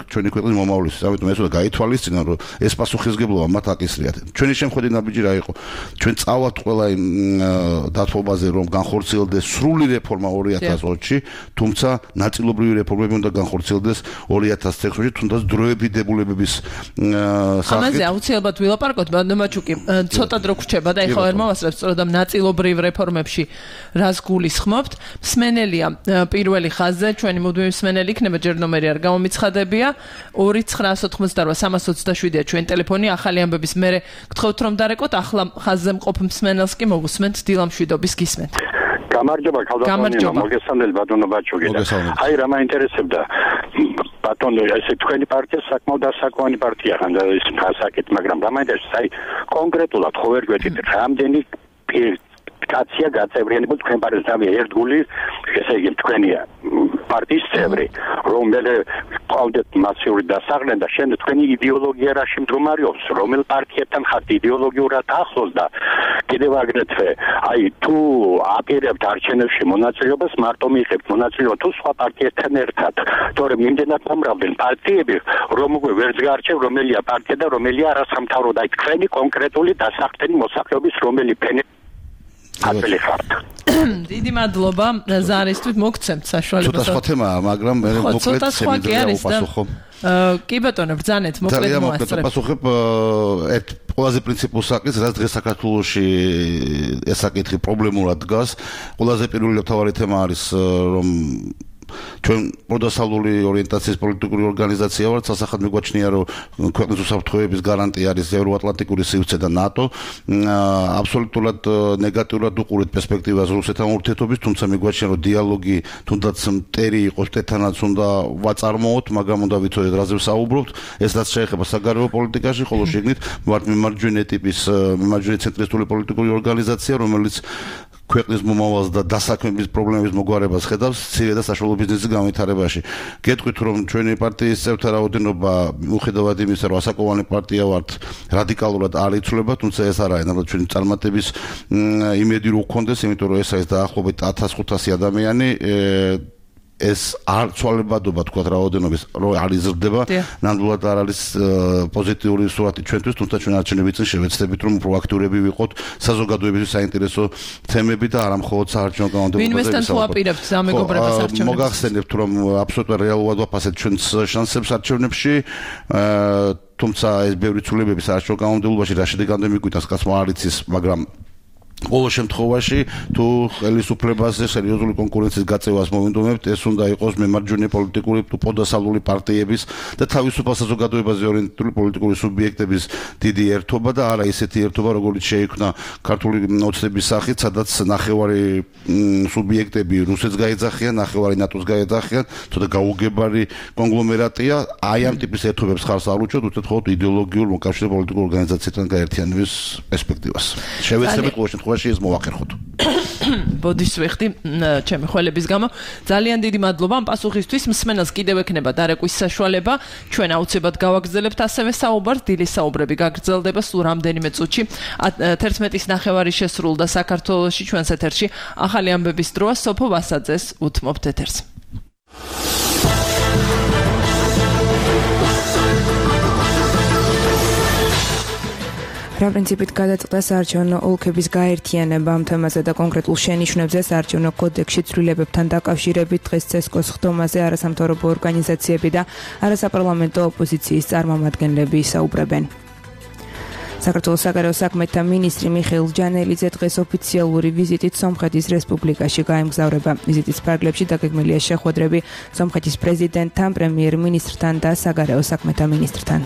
ჩვენი ქვეყნის მომავლისთვის. ამიტომ ეს უნდა გაითვალისწინონ, რომ ეს პასუხისგებლობა მათ აკისრიათ. ჩვენი შემხედი ნაბიჯი რა იყო? ჩვენ წავალთ ყველა იმ დათბობაზე, რომ განხორციელდეს სრული რეფორმა 2020-ში, თუმცა ნაწილობრივი რეფორმები უნდა განხორციელდეს 2016-ში, თუნდაც დროებით დებულებების სახით. ამაზე აუცილებლად ვილაპარაკოთ, ბატონო ბაჩუკი, ცოტა დრო გრჩება და ეხლა ვერ მოვასწრებ სწორედ ამ ნაწილობრივ რეფორმებში რას გულისხმობთ. მსმენელია პირველი ხაზზე, ჩვენი მუდმივი მსმენელი იქნება, ჯერ ნომერი არ გამომიცხადებია. 2988-327-ია ჩვენი ტელეფონი, ახალი ამბების მერე გთხოვთ რომ დარეკოთ, ახლა ხაზზე მყოფ მსმენელს კი მოგусმენთ დილამშვიდობის გისმენთ. გამარჯობა, ქალბატონო, მოგესალმებით ბატონო ბაჩუკი. აი რა მაინტერესებდა ბატონო, ესე თქვენი პარტია საკმაოდ დასაკვანი პარტია ხანდა ის ფასაკეთ, მაგრამ რა მაინტერესებს, აი კონკრეტულად ხო ვერ გვეთით რამდენი კაცია გაწევრიანებული თქვენ პარტიას ერთგული, ესე იგი თქვენი პარტიის წევრი, რომელიც ყავდეთ მასიური დასაღლენ და შემდეგ თქვენი იდეოლოგია რაში მდგომარეობს, რომელ პარტიებთან ხართ იდეოლოგიურად ახლოს და კიდევ აგრეთვე, აი თუ აპირებთ არჩევნებში მონაწილეობას, მარტო მიიღებთ მონაწილეობა თუ სხვა პარტიებთან ერთად, თორემ იმდენად მომრავლენ პარტიები, რომ უკვე ვერც გაარჩევ რომელია პარტია და რომელია არასამთავრობო და აი თქვენი კონკრეტული დასახდენი მოსახლეობის რომელი ფენი აწელი ხართ. დიდი მადლობა ზარისთვის, მოგცემთ საშუალებას. ცოტა სხვა თემაა, მაგრამ მე მოკლედ შემიძლია უპასუხო. კი ბატონო, ბრძანეთ, მოკლედ მოასწრებ. პასუხებ ერთ ყველაზე პრინციპულ საკითხს, რაც დღეს საქართველოში ეს საკითხი პრობლემურად დგას. ყველაზე პირველი თავარი თემა არის რომ ჩვენ პროდასავლური ორიენტაციის პოლიტიკური ორგანიზაცია ვართ, სასახად მიგვაჩნია რომ ქვეყნის უსაფრთხოების გარანტია არის ევროატლანტიკური სივრცე და ნატო. აბსოლუტურად ნეგატიურად უყურეთ პერსპექტივას რუსეთთან ურთიერთობის, თუმცა მიგვაჩნია რომ დიალოგი თუნდაც მტერი იყოს, თეთრანაც უნდა ვაწარმოოთ, მაგრამ უნდა ვიცოდეთ რაზე ვსაუბრობთ. ეს რაც შეეხება საგარეო პოლიტიკაში, ხოლო შეგნით ვართ მემარჯვენე ტიპის, მემარჯვენე ცენტრისტული პოლიტიკური ორგანიზაცია, რომელიც ქვეყნის მომავალს და დასაქმების პრობლემების მოგვარებას ხედავს მცირე და საშუალო ბიზნესის განვითარებაში. გეტყვით რომ ჩვენი პარტიის წევრთა რაოდენობა მიუხედავად იმისა, რომ ასაკოვანი პარტია ვართ, რადიკალურად არ იცვლება, თუმცა ეს არა არის ჩვენი წარმატების იმედი რო გქონდეს, იმიტომ რომ ეს არის დაახლოებით 1500 ადამიანი. ეს არ ცვალებადობა თქვა რაოდენობის რო არ იზრდება, ნამდვილად არ არის პოზიტიური სურათი ჩვენთვის, თუმცა ჩვენ არჩევნების წინ შევეცდებით რომ პროაქტიურები ვიყოთ საზოგადოებისთვის საინტერესო თემები და არა მხოლოდ საარჩევნო კანონმდებლობაზე. ვინმესთან თუ აპირებთ სამეგობრებას არჩევნებს? მოგახსენებთ რომ აბსოლუტურად რეალურად ვაფასებთ ჩვენს შანსებს არჩევნებში. თუმცა ეს ბევრი ცვლილებები საარჩევნო კანონმდებლობაში რა შედეგამდე მიგვიტანს, კაცმა არ იცის, მაგრამ ყოველ შემთხვევაში თუ ხელისუფლებაზე სერიოზული კონკურენციის გაწევას მოვინდომებთ, ეს უნდა იყოს მემარჯვენე პოლიტიკური თუ პოდასალული პარტიების და თავისუფალ საზოგადოებაზე ორიენტირებული პოლიტიკური სუბიექტების დიდი ერთობა და არა ისეთი ერთობა, როგორც შეიქმნა ქართული ოცნების სახით, სადაც ნახევარი სუბიექტები რუსეთს გაეძახიან, ნახევარი ნატოს გაეძახიან, თორე გაუგებარი კონგლომერატია, აი ამ ტიპის ერთობებს ხარს არ უჭერთ, უბრალოდ მხოლოდ იდეოლოგიურ მოკავშირე პოლიტიკურ ორგანიზაციებთან გაერთიანების პერსპექტივას. შევეცდებით ყოველ შემთხვევაში ეს მოვახერხოთ. ბოდიშ ვიხდი ჩემი ხვალების გამო. ძალიან დიდი მადლობა ამ პასუხისთვის. მსმენელს კიდევ ექნება დარეკვის საშუალება. ჩვენ აუცილებლად გავაგრძელებთ ასევე საუბარს. დილის საუბრები გაგრძელდება სულ რამდენიმე წუთში. 11:30 შესრულდა საქართველოში ჩვენს ეთერში ახალი ამბების დროა. სოფო ვასაძეს უთმობთ ეთერს. რა პრინციპით გადაწყდა საარჩევნო ოლქების გაერთიანება ამ თემაზე და კონკრეტულ შენიშვნებზე საარჩევნო კოდექსში ცვლილებებთან დაკავშირებით დღეს ცესკოს ხდომაზე არასამთავრობო ორგანიზაციები და არასაპარლამენტო ოპოზიციის წარმომადგენლები ისაუბრებენ. საქართველოს საგარეო საქმეთა მინისტრი მიხეილ ჯანელიძე დღეს ოფიციალური ვიზიტით სომხეთის რესპუბლიკაში გაემგზავრება. ვიზიტის ფარგლებში დაგეგმილია შეხვედრები სომხეთის პრეზიდენტთან, პრემიერ-მინისტრთან და საგარეო საქმეთა მინისტრთან.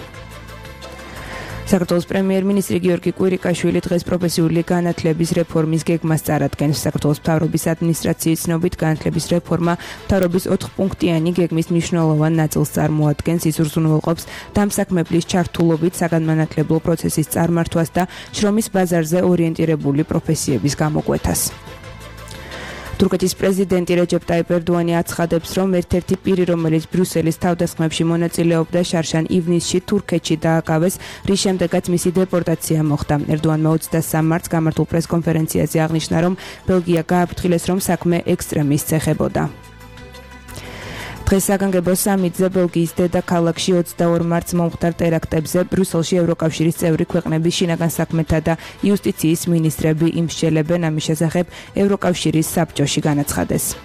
საქართველოს პრემიერ-მინისტრი გიორგი კვირიკაშვილი დღეს პროფესიული განათლების რეფორმის გეგმას წარადგენს. საქართველოს მთავრობის ადმინისტრაციის ცნობით განათლების რეფორმა მთავრობის 4-პუნქტიანი გეგმის მნიშვნელოვან ნაწილს წარმოადგენს. ის უზრუნველყოფს დამსაქმებლის ჩართულობით საგანმანათლებლო პროცესის წარმართვას და შრომის ბაზარზე ორიენტირებული პროფესიების გამოკვეთას. თურქეთის პრეზიდენტი რეჯეპ ტაიპ ერდოანი აცხადებს, რომ ერთ-ერთი პირი, რომელიც ბრიუსელის თავდასხმებში მონაწილეობდა, შარშან ივნისში თურქეთში დააკავეს, რის შემდეგაც მისი დეპორტაცია მოხდა. ერდოანმა 23 მარტს გამართულ პრესკონფერენციაზე აღნიშნა, რომ ბელგია გააფრთხილეს, რომ საქმე ექსტრემისტს ეხებოდა. დღეს საგანგებო სამიტზე ბელგიის დედაქალაქში 22 მარტს მომხდარ ტერაქტებზე ბრიუსელში ევროკავშირის წევრი ქვეყნების შინაგან საქმეთა და იუსტიციის მინისტრები იმსჯელებენ. ამის შესახებ ევროკავშირის საბჭოში განაცხადეს.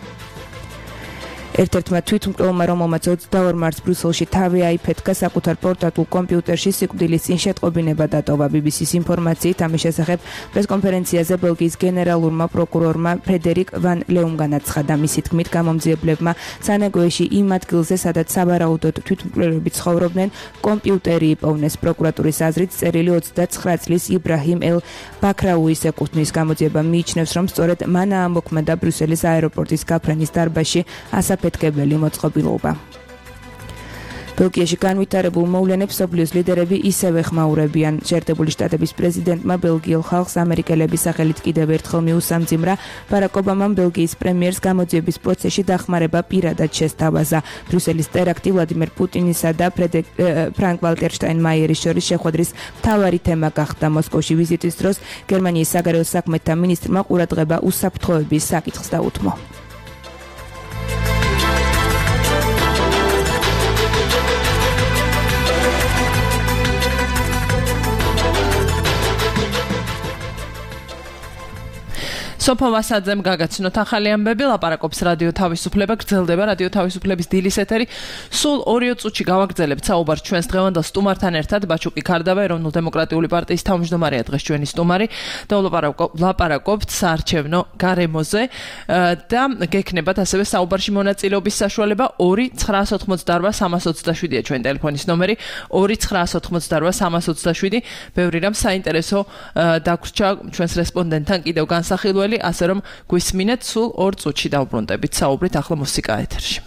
ერთ-ერთმა თვითმკვლელმა, რომელმაც 22 მარტს ბრიუსელში თავი აიფეთქა, საკუთარ პორტატულ კომპიუტერში სიკვდილის წინ შეტყობინება დატოვა. BBC-ს ინფორმაციით ამის შესახებ პრესკონფერენციაზე ბელგიის გენერალურმა პროკურორმა ფრედერიკ ვან ლეუმ განაცხადა. მისი თქმით, გამომძიებლებმა სანეგვეში იმ ადგილზე, სადაც სავარაუდოდ თვითმკვლელები ცხოვრობდნენ, კომპიუტერი იპოვნეს. პროკურატურის აზრით, წერილი 29 წლის იბრაჰიმ ელ ბაქრაუის ეკუთვნის. გამოძიება მიიჩნევს, რომ სწორედ მან აამოქმედა ბრიუსელის აეროპორტის გაფრენის დარბაზში ასაფეთქებელი მოწყობილობა. ბელგიაში განვითარებულ მოვლენებს მსოფლიოს ლიდერები ისევე ხმაურებიან. შეერთებული შტატების პრეზიდენტმა ბელგიელ ხალხს ამერიკელების სახელით კიდევ ერთხელ მიუსამძიმრა. ბარაკ ობამამ ბელგიის პრემიერს გამოძიების პროცესში დახმარება პირადად შესთავაზა. ბრიუსელის ტერაქტი ვლადიმერ პუტინისა და ფრანკ ვალტერ შტაინმაიერის შორის შეხვედრის მთავარი თემა გახდა. მოსკოვში ვიზიტის დროს გერმანიის საგარეო საქმეთა მინისტრმა ყურადღება უსაფრთხოების საკითხს დაუთმო. სოფო ვასაძემ გაგაცნოთ ახალი ამბები, ლაპარაკობს რადიო თავისუფლება, გრძელდება რადიო თავისუფლების დილის ეთერი. სულ 2 წუთში გავაგრძელებთ საუბარს ჩვენს დღევანდელ სტუმართან ერთად. ბაჩუკი ქარდავა, ეროვნულ-დემოკრატიული პარტიის თავმჯდომარეა დღეს ჩვენი სტუმარი და ვლაპარაკობთ საარჩევნო გარემოზე და გექნებათ ასევე საუბარში მონაწილეობის საშუალება 2-988-327-ია ჩვენი ტელეფონის ნომერი 2-988-327. ბევრი რამ საინტერესო დაგვრჩა ჩვენს რესპონდენტთან კიდევ განსახილველი, ასე რომ გვისმინეთ სულ 2 წუთში დავბრუნდებით საუბრით ახლა მუსიკა ეთერში.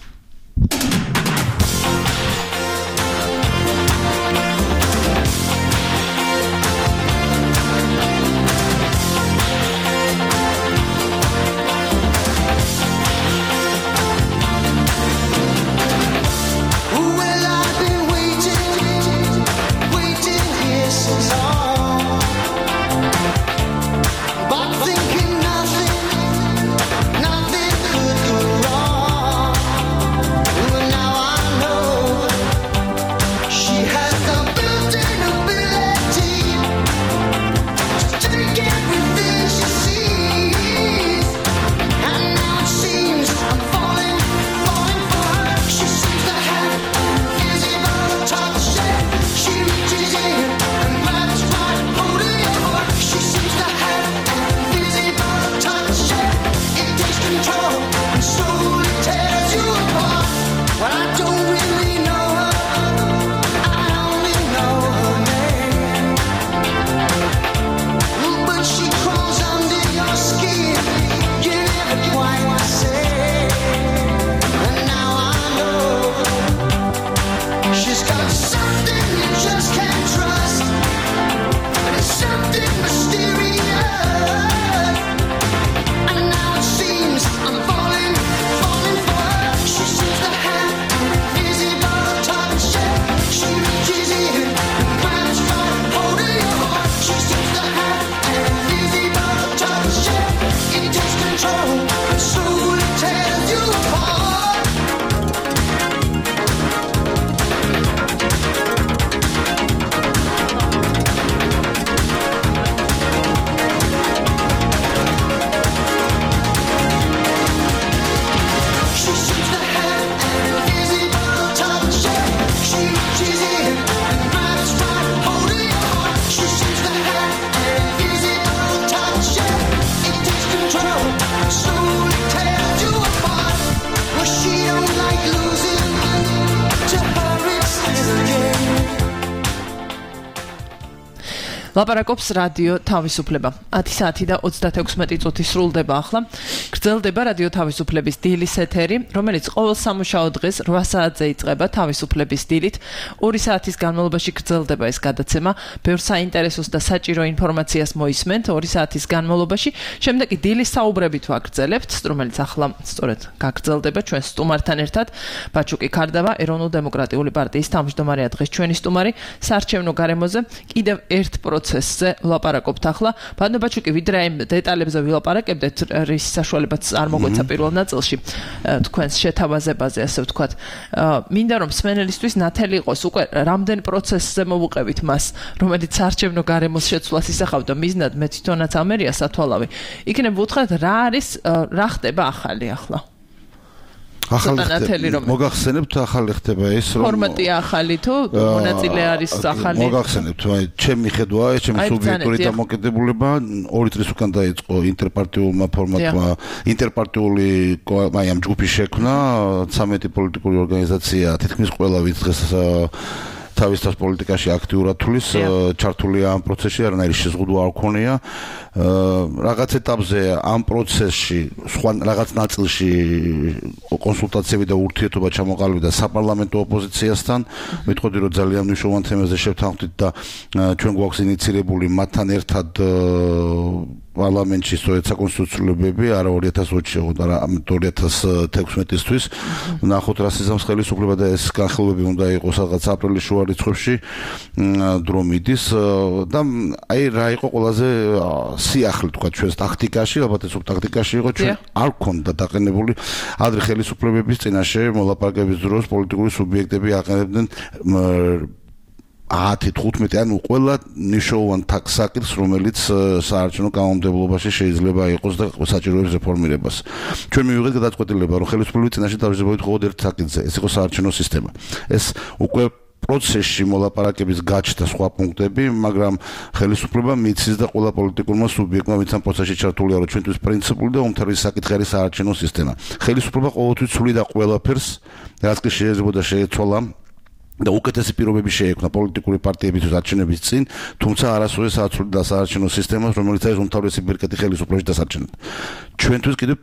Nothing could go wrong. ლაპარაკობს რადიო თავისუფლება. 10 საათი და 36 წუთი სრულდება ახლა. გრძელდება რადიო თავისუფლების დილის ეთერი, რომელიც ყოველ სამუშაო დღეს 8 საათზე იწყება თავისუფლების დილით. 2 საათის განმავლობაში გრძელდება ეს გადაცემა. ბევრ საინტერესოს და საჭირო ინფორმაციას მოისმენთ 2 საათის განმავლობაში. შემდეგ კი დილის საუბრებით ვაგრძელებთ, რომელიც ახლა სწორედ გაგრძელდება ჩვენ სტუმართან ერთად. ბაჩუკი ქარდავა, ეროვნულ-დემოკრატიული პარტიის თავმჯდომარეა დღეს ჩვენი სტუმარი. საარჩევნო გარემოზე კიდევ ერთ პროცესზე ვლაპარაკობთ ახლა. ბატონო ბაჩუკი, ვიდრე ამ დეტალებზე ვილაპარაკებდეთ, რის საშუალებაც არ მოგვეცა პირველ ნაწილში თქვენს შეთავაზებაზე, ასე ვთქვათ. მინდა რომ მსმენელისთვის ნათელი იყოს უკვე რამდენ პროცესზე მოვუყევით მას, რომელიც საარჩევნო გარემოს შეცვლას ისახავდა მიზნად, მე თვითონაც ამერია სათვალავი. იქნებ ვუთხრათ რა არის, რა ხდება ახალი ახლა? მოგახსენებთ ახალი ხდება ეს რომ ფორმატია ახალი თუ მონაწილე არის ახალი მოგახსენებთ ჩემი ხედვაა ეს ჩემი სუბიექტური დამოკიდებულება 2 წლის უკან დაიწყო ინტერპარტიულმა ფორმატმა ინტერპარტიული ამ ჯგუფის შექმნა 13 პოლიტიკური ორგანიზაცია თითქმის ყველა ვინც დღეს თავის პოლიტიკაში აქტიურად თulis ჩართულია ამ პროცესში არანაირი შეზღუდვა არ ქონია რაღაც ეტაპზე ამ პროცესში სხვა რაღაც ნაწილში კონსულტაციები და ურთიერთობა ჩამოყალიბდა საპარლამენტო ოპოზიციასთან მეთქოდი რომ ძალიან მნიშვნელოვან თემაზე შევთანხმდით და ჩვენ გვაქვს ინიცირებული მათთან ერთად პარლამენტში სწორედ საკონსტიტუციურობები არა 2020-ში და 2016-ისთვის ნახოთ რა სიზამს ხელისუფლება და ეს განხილვები უნდა იყოს რაღაც აპრილის შუა რიცხვებში დრო მიდის და აი რა იყო ყველაზე სიახლე თქვა ჩვენს ტაქტიკაში ალბათ ეს ტაქტიკაში იყო ჩვენ არ გქონდა დაყენებული ადრე ხელისუფლებების წინაშე მოლაპარაკების დროს პოლიტიკური სუბიექტები აყენებდნენ 10-15 ანუ ყველა ნიშნულოვან საკითხს რომელიც საარჩევნო კანონმდებლობაში შეიძლება იყოს და საჭიროებს რეფორმირებას. ჩვენ მივიღეთ გადაწყვეტილება რომ ხელისუფლების წინაშე დავживოთ მხოლოდ ერთ საკითხზე, ეს იყო საარჩევნო სისტემა. ეს უკვე პროცესში მოლაპარაკების გაჩნდა სხვა პუნქტები, მაგრამ ხელისუფლება მიცის და ყველა პოლიტიკურმა სუბიექტმა ვინც ამ პროცესში ჩართულია, რომ ჩვენთვის პრინციპული და უმთავრესი საკითხი არის საარჩევნო სისტემა. ხელისუფლება ყოველთვის ცვლიდა ყველაფერს, რაც კი შეიძლება შეეცვალა და უკეთესი პირობები შეექმნა პოლიტიკური პარტიებისთვის არჩევნების წინ, თუმცა არასოდეს აცვლიდა საარჩევნო სისტემას, რომელიც არის უმთავრესი ბირკეტი ხელისუფლებაში დასარჩენად. ჩვენთვის კიდევ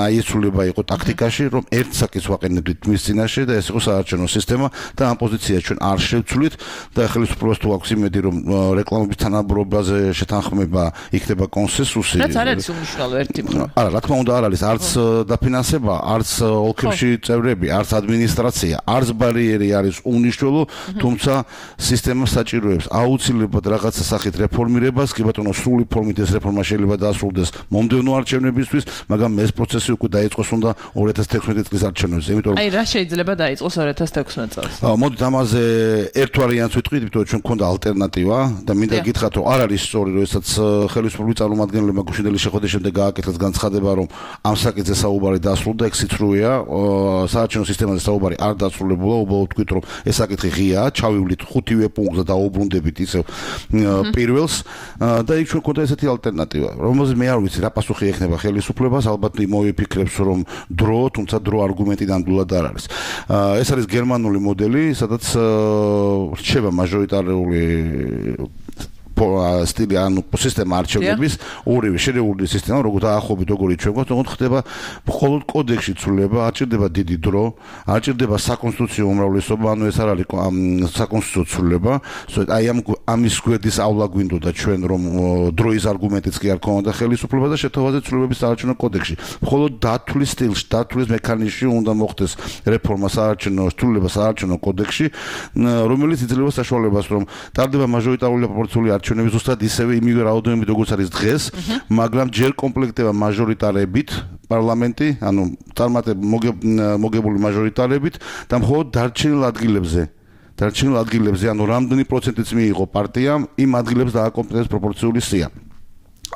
აი ეს ცვლილება იყო ტაქტიკაში, რომ ერთ საკითხს ვაყენებდით მის წინაშე და ეს იყო საარჩევნო სისტემა და ამ პოზიციას ჩვენ არ შევცვლით და ხელისუფლებას თუ აქვს იმედი, რომ რეკლამების თანაბრობაზე შეთანხმება იქნება კონსენსუსი. რაც არ არის უმნიშვნელო ერთი მხრივ. არა, რა თქმა უნდა არ არის, არც დაფინანსება, არც ოლქებში წევრები, არც ადმინისტრაცია, არც ბარიერი არის თუმცა სისტემა საჭიროებს აუცილებლად რაღაცა სახით რეფორმირებას, კი ბატონო, სრული ფორმით ეს რეფორმა შეიძლება დაასრულდეს მომდევნო არჩევნებისთვის, მაგრამ ეს პროცესი უკვე დაიწყოს უნდა 2016 წლის არჩევნებზე, იმიტომ რომ აი რა შეიძლება დაიწყოს 2016 წელს. მოდით ამაზე ერთ ვარიანტს ვიტყვით, იმიტომ რომ ჩვენ გქონდა ალტერნატივა და მინდა გითხრათ, რომ არ არის სწორი, რომ ესაც ხელისუფლების წარმომადგენლებმა გუშინდელი შეხვედრის შემდეგ გააკეთეს განცხადება, რომ ამ საკითხზე საუბარი დასრულდა, ეგ სიცრუეა, საარჩევნო სისტემაზე საუბარი არ დასრულებულა, უბრალოდ ვთქვით, რომ ეს საკითხი ღია, ჩავივლით 5-ვე პუნქტზე და დაუბრუნდებით ისევ პირველს და იქ ჩვენ გვქონდა ესეთი ალტერნატივა, რომელზეც მე არ ვიცი რა პასუხი ექნება ხელისუფლებას, ალბათ მოვიფიქრებს, რომ დრო, თუმცა დრო არგუმენტი ნამდვილად არ არის. ეს არის გერმანული მოდელი, სადაც რჩება მაჟორიტარული სტილი ანუ სისტემა არჩევნების ორივე შერეული სისტემა როგორ დაახლოებით როგორი ჩვენ გვაქვს თქო ხდება მხოლოდ კოდექსში ცვლილება არ ჭირდება დიდი დრო არ ჭირდება საკონსტიტუციო უმრავლესობა ანუ ეს არ არის საკონსტიტუციო ცვლილება სწორედ აი ამის გვერდის ავლა გვინდოდა ჩვენ რომ დროის არგუმენტიც კი არ ქონდა ხელისუფლება და შეთავაზეთ ცვლილებების საარჩევნო კოდექსში მხოლოდ დათვლის სტილში დათვლის მექანიზმში უნდა მოხდეს რეფორმა საარჩევნო ცვლილება საარჩევნო კოდექსში რომელიც იძლევა საშუალებას რომ ტარდება მაჟორიტარული პროპორციული არჩევნები ზუსტად ისევე იმივე რაოდენობით როგორც არის დღეს, მაგრამ ჯერ კომპლექტდება მაჟორიტარებით პარლამენტი, ანუ მოგებული მაჟორიტარებით და მხოლოდ დარჩენილ ადგილებზე, ანუ რამდენი პროცენტიც მიიღო პარტიამ, იმ ადგილებს დააკომპლექტებს პროპორციული სია.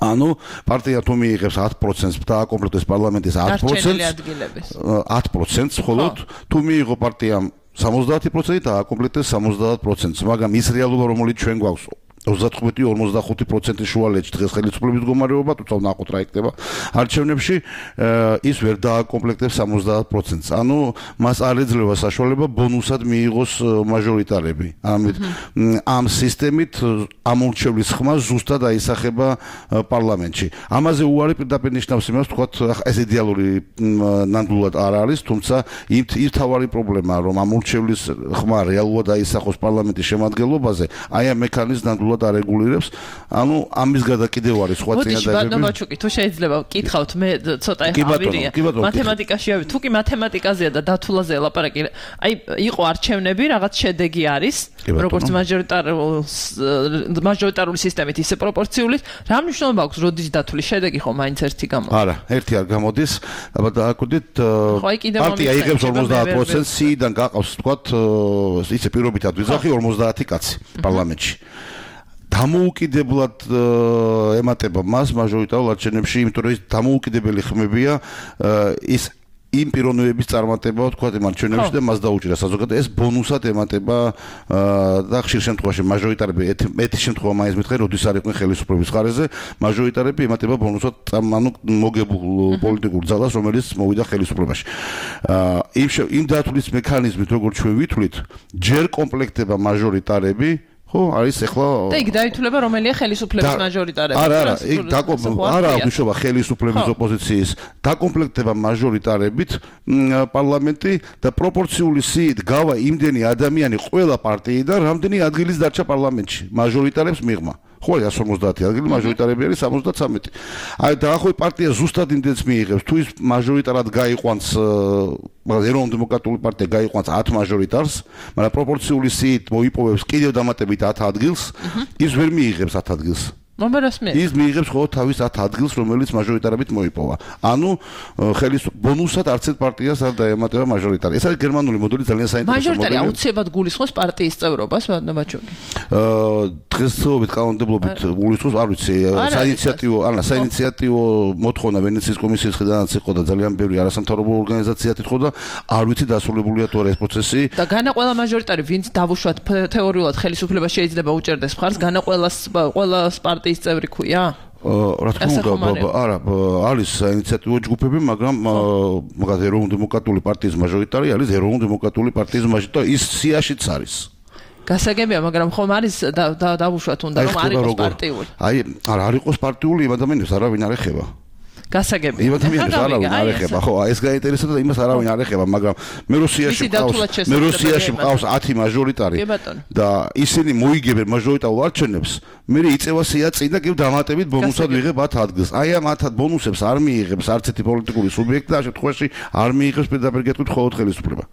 ანუ პარტია თუ მიიღებს 10%-ს დააკომპლექტებს პარლამენტის 10%-ს, მხოლოდ თუ მიიღო პარტიამ 70% და აკომპლექტებს 70%-ს, მაგრამ ის რეალობა რომელიც ჩვენ გვაქვს 35-45% შუალედში დღეს ხელისუფლების მდგომარეობა, თუმცა ნახოთ რა იქნება არჩევნებში, ის ვერ დააკომპლექტებს 70%-ს. ანუ მას არ ეძლევა საშუალება ბონუსად მიიღოს მაჟორიტარები. ამ სისტემით ამორჩევლის ხმა ზუსტად აისახება პარლამენტში. ამაზე უარი პირდაპირ ნიშნავს იმას, თქვათ, ეს იდეალური ნამდვილად არ არის, თუმცა ის თავარი პრობლემაა, რომ ამორჩევლის ხმა რეალურად აისახოს პარლამენტის შემადგენლობაზე, აი ამ მექანიზმს ნამდვილად არეგულირებს. ანუ ამის გარდა კიდევ არის სხვა წინადადებები. მოდი, ბატონო, თუ შეიძლება ვკითხავთ, მე ცოტა ავირია. მათემატიკაში ავი, თუ კი მათემატიკაზეა და დათულაზეა ლაპარაკი, აი იყო არჩევნები, რაღაც შედეგი არის, როგორც მაჟორიტარული სისტემით, ისე პროპორციული. რა მნიშვნელობა აქვს, როდის დათული შედეგი ხო მაინც ერთი გამოდის? არა, ერთი არ გამოდის. აბა დააკვირდით, პარტია იღებს 50%, სიიდან გაყავს, თქვათ, ისე პირობითად ვიზახი 50 კაცი პარლამენტში. დამოუკიდებლად ემატება მას მაჟორიტარულ არჩევნებში, იმიტომ რომ ის დამოუკიდებელი ხმებია, ის იმ პიროვნების წარმატება, თქვათ, იმ არჩევნებში და მას დაუჭირა საზოგადოება, ეს ბონუსად ემატება და ხშირ შემთხვევაში მაჟორიტარები ერთი შემთხვევა მაინც მითხარ, როდის არ იყვნენ ხელისუფლების ხარეზე, მაჟორიტარები ემატება ბონუსად, ანუ მოგებულ პოლიტიკურ ძალას, რომელიც მოვიდა ხელისუფლებაში. იმ დათვლის მექანიზმით, როგორც ჩვენ ვითვლით, ჯერ კომპლექტება მაჟორიტარები ხო, არის ახლა და იქ დაითვლება რომელია ხელისუფლების მაჟორიტარები. არა, იქ არა აღნიშნობა ხელისუფლების ოპოზიციის დაკომპლექტება მაჟორიტარებით პარლამენტი და პროპორციული სიით გავა იმდენი ადამიანი ყველა პარტიიდან, რამდენი ადგილის დარჩა პარლამენტში მაჟორიტარებს მიღმა. ხო, 150 ადგილი, მაჟორიტარები არის 73. აი დაახლოებით პარტია ზუსტად იმდენს მიიღებს, თუ ის მაჟორიტარად გაიყვანს, ეროვნულ-დემოკრატიული პარტია გაიყვანს 10 მაჟორიტარს, მაგრამ პროპორციული სიით მოიპოვებს კიდევ დამატებით 10 ადგილს, ის ვერ მიიღებს 10 ადგილს. ის მიიღებს ხოლმე თავის 10 ადგილს, რომელიც მაჟორიტარებით მოიპოვა. ანუ ბონუსად არც ერთ პარტიას არ დაემატება მაჟორიტარი. ეს არის გერმანული მოდელი, ძალიან საინტერესო მოდელი. მაჟორიტარი აუცილებლად გულისხმობს პარტიის წევრობას, ბატონო. დღესდღეობით კანონმდებლობით გულისხმობს, არ ვიცი, საინიციატივო მოთხოვნა ვენეციის კომისიის მხრიდანაც იყო და ძალიან ბევრი არასამთავრობო ორგანიზაცია თითხო და არ ვიცი დასრულებულია თუ არა ეს პროცესი. და განა ყველა მაჟორიტარი, ვინც დავუშვათ თეორიულად ხელისუფლება შეიძლება უჭერდეს მხარს, განა ყველა პარტიის წევრი ქვია? რა თქმა უნდა, არა, არის საინიციატივო ჯგუფები, მაგრამ ეროვნულ-დემოკრატიული პარტიის მაჟორიტარი არის ეროვნულ-დემოკრატიული პარტიის მაჟორიტარი, ის სიაშიც არის. გასაგებია, მაგრამ ხომ არის დავუშვათ უნდა რომ არ იყოს პარტიული. აი, არ იყოს პარტიული, იმ ადამიანებს არავინ არ ეხება. გასაგებია. იმ ადამიანებს არავინ არ ეხება, ხო, ეს გაინტერესებდა და იმას არავინ არ ეხება, მაგრამ მე რუსიაში მყავს 10 მაჟორიტარი და ისინი მოიგებენ მაჟორიტარულ არჩევნებს, მე იწევა სია წინ და კიდევ დამატებით ბონუსად ვიღებ 10 ადგილს. აი ამ 10 ბონუსებს არ მიიღებს არც ერთი პოლიტიკური სუბიექტი და ამ შემთხვევაში არ მიიღებს პირდაპირ გეტყვით მხოლოდ ხელისუფლება.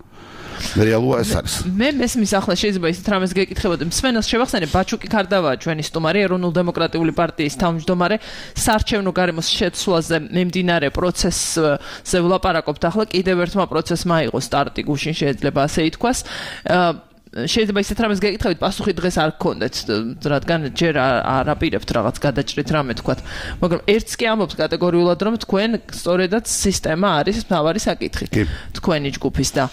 რეალურია ეს არის. მე მესმის ახლა შეიძლება ისეთ რამეს გეკითხებოდი. მსმენელს შევახსენებ, ბაჩუკი ქარდავაა ჩვენი სტუმარი, ეროვნულ-დემოკრატიული პარტიის თავმჯდომარე, საარჩევნო გარემოს შეცვლაზე მიმდინარე პროცესზე ვლაპარაკობთ. ახლა კიდევ ერთმა პროცესმა აიღო სტარტი, გუშინ შეიძლება ასე ითქვას. შეიძლება ისეთ რამეს გეკითხებით, პასუხი დღეს არ გქონდეთ, რადგან ჯერ არ აპირებთ რაღაც გადაჭრით რამე თქვათ. მაგრამ ერთს კი ამბობთ კატეგორიულად, რომ თქვენ სწორედაც სისტემა არის მთავარი საკითხი თქვენი ჯგუფის და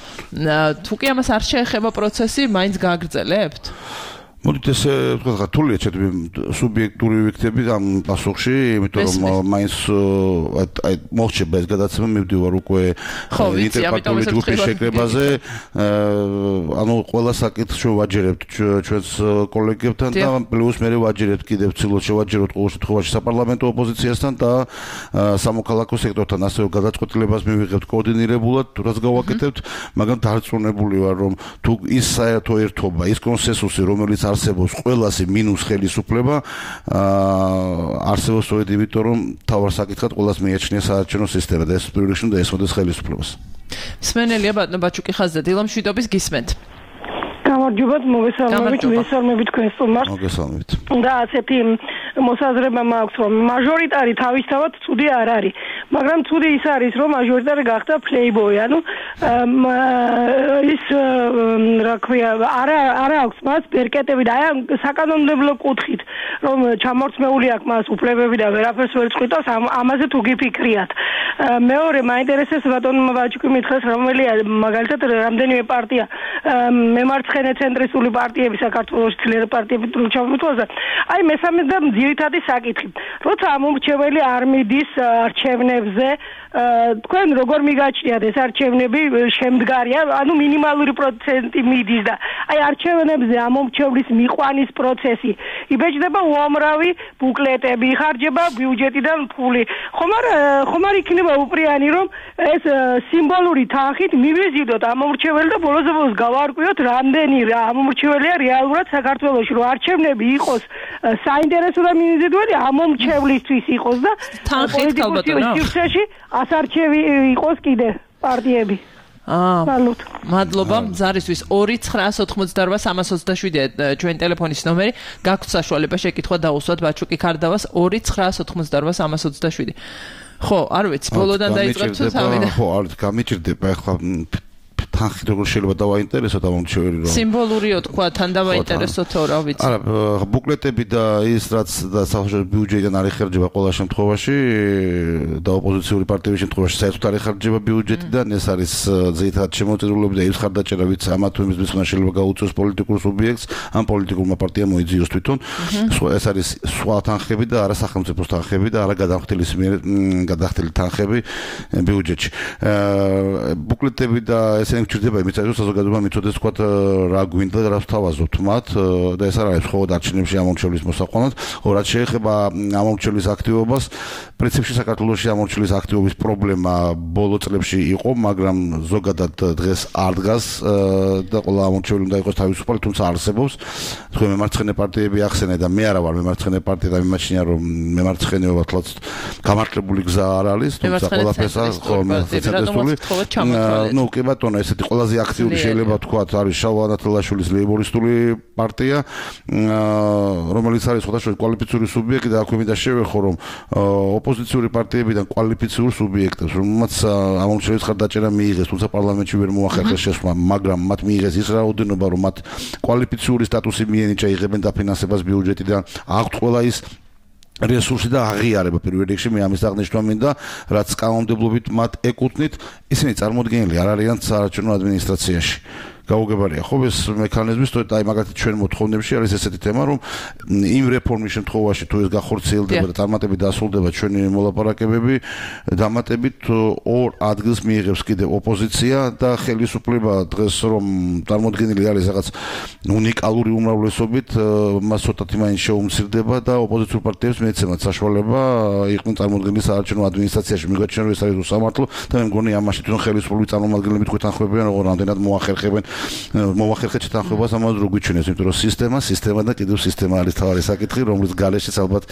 თუ კი ამას არ შეეხება პროცესი, მაინც გააგრძელებთ? მოდით ესე ვთქვათ, რთულია ჩემი სუბიექტური ვიქცები ამ პასუხში, იმიტომ რომ მაინც აი მოხდება ეს გადაცემა, მივდივარ უკვე ინტერპარტიული ჯგუფის შეკრებაზე, ანუ ყველა საკითხს შევაჯერებთ ჩვენს კოლეგებთან და პლუს მე ვაჯერებთ კიდევ ცდილობთ შევაჯეროთ ყოველ შემთხვევაში საპარლამენტო ოპოზიციასთან და სამოქალაქო სექტორთან, ასევე გადაწყვეტილებას მივიღებთ კოორდინირებულად, რაც გავაკეთებთ, მაგრამ დარწმუნებული ვარ, რომ თუ ის საერთო ერთობა, ის კონსენსუსი, რომელიც არსებობს ყველასი მინუს ხელისუფლება, არსებობს სწორედ იმიტომ, რომ თავარ საკითხად ყველას მიაჩნია საარჩევნო სისტემა და ეს პირველ რიგში უნდა ესწროს ხელისუფლებას. მსმენელია ბატონო ბაჩუკი ხაზზე, დილამ შვიდობის გისმენთ. გამარჯობათ, მოგესალმებით თქვენ სტუმარს. მოგესალმებით. და ასეთი მოსაზრება მაქვს, რომ მაჟორიტარი თავისთავად ცუდი არ არის. მაგრამ ცუდი ის არის, რომ მაჟორიტარი გახდა playboy, ანუ ის რა ქვია, არა აქვს მას ბერკეტები და აი საკანონმდებლო კუთხით, რომ ჩამორთმეული აქვს მას უფლებები და ვერაფერს ვერ წყვიტავს, ამაზე თუ გიფიქრიათ. მეორე მაინტერესებს ბატონმა ვაჭკი მითხეს, რომელია მაგალითად რამდენიმე პარტია მემარცხენე ცენტრისტული პარტიები საქართველოს ძლიერი პარტიები თუ ჩამოთვალა. აი მესამე და ძირითადი საკითხი. როცა ამომრჩეველი არ მიდის არჩევნებზე, თქვენ როგორ მიგაჩნიათ ეს არჩევნები შემდგარია, ანუ მინიმალური პროცენტი მიდის და აი არჩევნებზე ამომრჩევლის მიყვანის პროცესი. იბეჭდება უამრავი ბუკლეტები, იხარჯება ბიუჯეტიდან ფული. ხომ არ იქნება უპრიანი, რომ ეს სიმბოლური თანხით მივიზიდოთ ამომრჩეველი და ბოლოს გავარკვიოთ, რამდენი ამომრჩეველია რეალურად საქართველოში, რომ არჩევნები იყოს საინტერესო და მიმზიდველი ამომრჩევლისთვის იყოს და პოლიტიკურ სივრცეში ასარჩევი იყოს კიდე პარტიები. მადლობა ზარისთვის 2-988-327 ჩვენ ტელეფონის ნომერი გაქვთ საშუალება შეკითხვა დაუსვათ ბაჩუკი ქარდავას 2-988-327 ხო არ ვიცი ბოლოდან დაიწყებ თუ თავიდან ხო არ გამიჭირდება ახლა თანხით როგორ შეიძლება დავაინტერესოთ ამომრჩეველი რომ სიმბოლურიო თქვა თან დავაინტერესოთო რა ვიცი არა ბუკლეტები და ის რაც და სახელმწიფო ბიუჯეტიდან არ იხარჯება ყველა შემთხვევაში და ოპოზიციური პარტიების შემთხვევაში საერთოდ არ იხარჯება ბიუჯეტიდან ეს არის ძირითადად შემოწირულობები და ის ხარდაჭერა ვიც ამა თუ იმის მისვლა შეიძლება გაუწიოს პოლიტიკურ სუბიექტს ამ პოლიტიკურმა პარტიამ მოიძიოს თვითონ ეს არის სხვა თანხები და არა სახელმწიფოს თანხები და არა გადახდილი თანხები ბიუჯეტში ბუკლეტები და ესენი ჭირდება იმით რომ საზოგადოება მიცოდეს თქვა რა გვინდა და რა ვთავაზობთ მათ და ეს არ არის მხოლოდ არჩევნებში ამომრჩევლის მოსაყვანად, რაც შეეხება ამომრჩევლის აქტივობას, პრინციპში საქართველოში ამომრჩევლის აქტივობის პრობლემა ბოლო წლებში იყო, მაგრამ ზოგადად დღეს არ დგას და ყველა ამომრჩეველი უნდა იყოს თავისუფალი, თუმცა არსებობს თქვენ მემარცხენე პარტიები ახსენეთ და მე არა ვარ მემარცხენე პარტია და მიმაჩნია რომ მემარცხენეობა თლაც გამართლებული გზა არ არის, თუმცა ყველაფერს ახსენეთ ნუ კი ბატონო ესეთი ყველაზე აქტიური შეიძლება თქვათ არის შალვა ნათელაშვილის ლეიბორისტული პარტია რომელიც არის სხვადასხვა კვალიფიციური სუბიექტი და აქვე მინდა შევეხო რომ ოპოზიციური პარტიებიდან კვალიფიციური სუბიექტებს რომელმაც ამომრჩევლის ხარდაჭერა მიიღეს თუმცა პარლამენტში ვერ მოახერხეს შესვლა მაგრამ მათ მიიღეს ის რაოდენობა რომ მათ კვალიფიციური სტატუსი მიენიჭა იღებენ დაფინანსებას ბიუჯეტიდან აქვთ ყველა ის რესურსი და აღიარება პირველ რიგში მე ამის აღნიშნა მინდა რაც კანონმდებლობით მათ ეკუთვნით ისინი წარმოდგენილი არ არიან საარჩევნო ადმინისტრაციაში გაუგებარია ხო ეს მექანიზმი სწორედ აი მაგალითად ჩვენ მოთხოვნებში არის ესეთი თემა რომ იმ რეფორმის შემთხვევაში თუ ეს გახორციელდება და წარმატებით დასრულდება ჩვენი მოლაპარაკებები დამატებით ორ ადგილს მიიღებს კიდე ოპოზიცია და ხელისუფლება დღეს რომ წარმოდგენილი არის რაღაც უნიკალური უმრავლესობით მას ცოტათი მაინც შეუმცირდება და ოპოზიციურ პარტიებს მეცემათ საშუალება იყვნენ წარმოდგენილი საარჩევნო ადმინისტრაციაში მიგაჩნია რომ ეს არის უსამართლო და მე მგონი ამაში თვითონ ხელისუფლების წარმომადგენლები თქვენ თანხმობენ რომ რამდენად მოახერხებენ მოახერხეთ თანხმობას ამაზე რო გვიჩვენეს იმიტომ რომ სისტემა და კიდევ სისტემა არის თავარი საკითხი რომლის გარეშეც ალბათ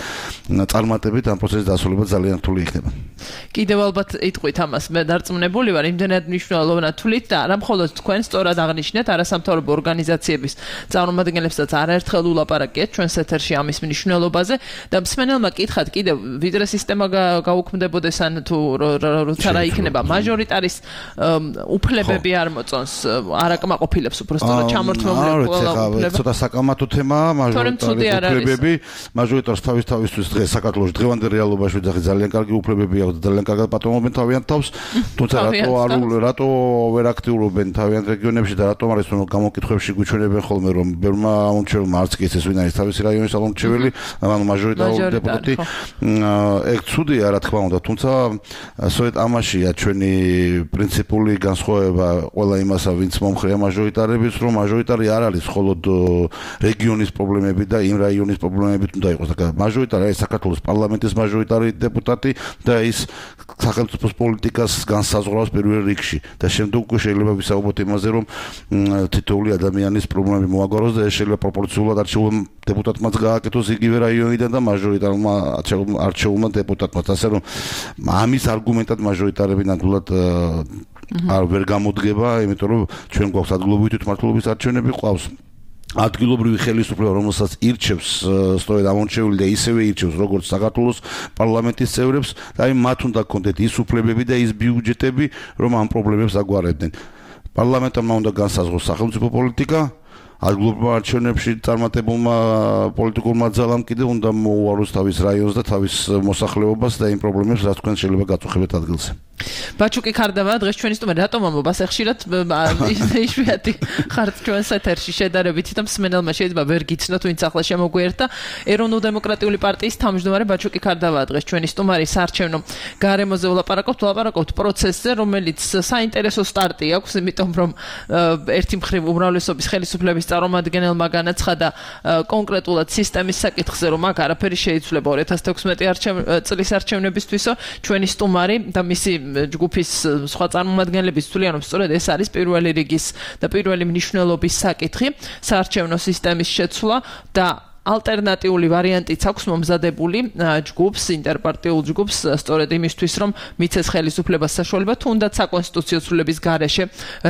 წარმატებით ამ პროცესის დასრულება ძალიან რთული იქნება კიდევ ალბათ იტყვით ამას მე დარწმუნებული ვარ იმდენად მნიშვნელოვანად თვლით და არა მხოლოდ თქვენ სწორად აღნიშნეთ არასამთავრობო ორგანიზაციების წარმომადგენლებსაც არაერთხელ ულაპარაკეთ ჩვენს ეთერში ამის მნიშვნელობაზე და მსმენელმა კითხათ კიდევ ვიდრე სისტემა გაუქმდებოდეს ან თუ როცა რა იქნება მაჟორიტარის უფლებები არ მოწონს ყოფილებს უბრალოდ ჩამორთმეული ყველა ცოტა საკამათო თემაა მაჟორიტარები მაჟორიტარს თავისთვის დღეს საქართველოს დღევანდელ რეალობაში ძალიან კარგი უფლებები აქვს ძალიან კარგად პატრონობენ თავიანთ თავს თუმცა რატო ვერ აქტიურობენ თავიანთ რეგიონებში და რატომ არის რომ გამოკითხვებში გვიჩვენებენ ხოლმე რომ ბერმა ამომრჩეველმა არც კი ეს ვინ არის თავისი რაიონის ამომრჩეველი ანუ მაჟორიტარული დეპუტატი ეგ ცუდია რა თქმა უნდა თუმცა სწორედ ამაშია ჩვენი პრინციპული განსხვავება ყველა იმასა ვინც მომხრეა მაჟორიტარების რომ მაჟორიტარი არ არის მხოლოდ რეგიონის პრობლემები და იმ რაიონის პრობლემებით უნდა იყოს და მაჟორიტარი არის საქართველოს პარლამენტის მაჟორიტარი დეპუტატი და ის სახელმწიფოს პოლიტიკას განსაზღვრავს პირველ რიგში და შემდეგ უკვე შეიძლება ვისაუბროთ იმაზე რომ თითოეული ადამიანის პრობლემები მოაგვაროს და ეს შეიძლება პროპორციულად არჩეულ დეპუტატმაც გააკეთოს იგივე რაიონიდან და მაჟორიტარმა არჩეულმა დეპუტატმა ასე რომ ამის არგუმენტად მაჟორიტარები ნამდვილად არ ვერ გამოდგება, იმიტომ რომ ჩვენ გვაქვს ადგილობრივი თვითმმართველობის არჩევნები ყავს. ადგილობრივი ხელისუფლება, რომელსაც ირჩევს სწორედ ამორჩეული და ისევე ირჩევს როგორც საქართველოს პარლამენტის წევრებს და მათ უნდა კონდეთ ის უფლებები და ის ბიუჯეტები, რომ ამ პრობლემებს აგვარებდნენ. პარლამენტმა უნდა განსაზღვროს სახელმწიფო პოლიტიკა, ადგილობრივ არჩევნებში წარმატებულმა პოლიტიკურმა ძალამ კიდევ უნდა მოუაროს თავის რაიონს და თავის მოსახლეობას და იმ პრობლემებს, რაც თქვენ შეიძლება გაწუხებთ ადგილზე. ბაჩუკი ქარდავა დღეს ჩვენი სტუმარი რატომ ამბობს ხშირად იშვიათი ხართ ჩვენს ეთერში შედარებით და მსმენელმა შეიძლება ვერ გიცნოთ ვინც ახლა შემოგვიერთდა ეროვნულ-დემოკრატიული პარტიის თავმჯდომარე ბაჩუკი ქარდავა დღეს ჩვენი სტუმარი საარჩევნო გარემოზე ვლაპარაკობთ პროცესზე რომელიც საინტერესო სტარტი აქვს იმიტომ რომ ერთი მხრივ უმრავლესობის ხელისუფლების წარმომადგენელმა განაცხადა კონკრეტულად სისტემის საკითხზე რომ აქ არაფერი შეიცვლება 2016 წლის არჩევნებისთვისო ჩვენი სტუმარი და მისი ჯგუფის სხვა წარმომადგენლების თვლიან რომ სწორედ ეს არის პირველი რიგის და პირველი მნიშვნელობის საკითხი საარჩევნო სისტემის შეცვლა და ალტერნატიული ვარიანტიც აქვს მომზადებული ჯგუფს ინტერპარტიულ ჯგუფს სწორედ იმისთვის რომ მიცეს ხელისუფლებას საშუალება თუნდაც საკონსტიტუციო ცვლილების გარეშე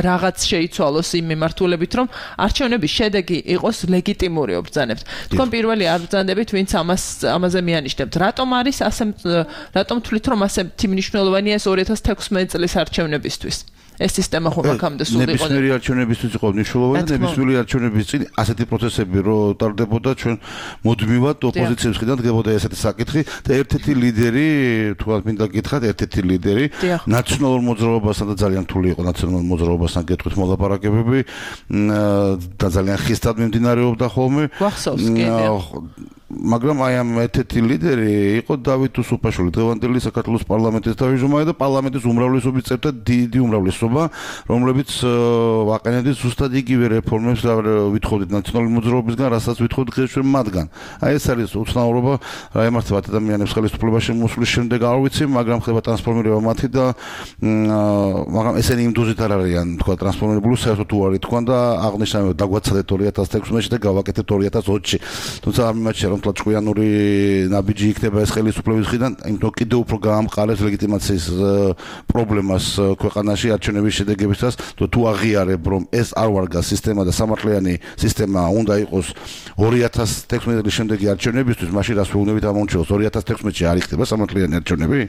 რაღაც შეიცვალოს იმ მიმართულებით რომ არჩევნების შედეგი იყოს ლეგიტიმური ობრძანებთ. თქვენ პირველი არ ბრძანდებით ვინც ამაზე მიანიშნებთ. რატომ თვლით რომ ასეთი მნიშვნელოვანია ეს 2016 წლის არჩევნებისთვის? ეს სისტემა ხომ აქამდე სულ იყო. ნებისმიერი არჩევნებისთვის იყო მნიშვნელოვანი და ნებისმიერი არჩევნების წინ ასეთი პროცესები რო ტარდებოდა ჩვენ მუდმივად ოპოზიციის მხრიდან დგებოდა ესეთი საკითხი და ერთ-ერთი ლიდერი თქვათ მინდა გითხრათ ერთ-ერთი ლიდერი ნაციონალურ მოძრაობასთან და ძალიან რთული იყო ნაციონალურ მოძრაობასთან გეტყვით მოლაპარაკებები და ძალიან ხისტად მიმდინარეობდა ხოლმე. გვახსოვს კიდე მაგრამ აი ამ ერთ-ერთი ლიდერი იყო დავით უსუფაშვილი დღევანდელი საქართველოს პარლამენტის თავმჯდომარე და პარლამენტის უმრავლესობის წევრთა დიდი უმრავლესობა რომლებიც ვაყენებდით ზუსტად იგივე რეფორმებს და ვითხოვდით ნაციონალური მოძრაობისგან რასაც ვითხოვდით ჩვენ მათგან. აი ეს არის უცნაურობა რა ემართება ადამიანებს ხელისუფლებაში მოსვლის შემდეგ არ ვიცი მაგრამ ხდება ტრანსფორმირება მათი და მაგრამ ესენი იმ დოზით არ არიან თქვა ტრანსფორმირებული საერთოდ უარი თქვა და აღნიშნა დაგვაცადეთ 2016-ში და გავაკეთეთ 2020-ში თუმცა არ მიმაჩნია რომ ჭკვიანური ნაბიჯი იქნება ეს ხელისუფლების მხრიდან, იმიტომ კიდევ უფრო გაამყარებს ლეგიტიმაციის პრობლემას ქვეყანაში არჩევნების შედეგებისას, თუ აღიარებ რომ ეს არ ვარგა სისტემა და სამართლიანი სისტემა უნდა იყოს 2016 წლის შემდეგი არჩევნებისთვის, მაშინ რას ვეუბნებით ამორჩეულს 2016-ში არ იქნება სამართლიანი არჩევნები?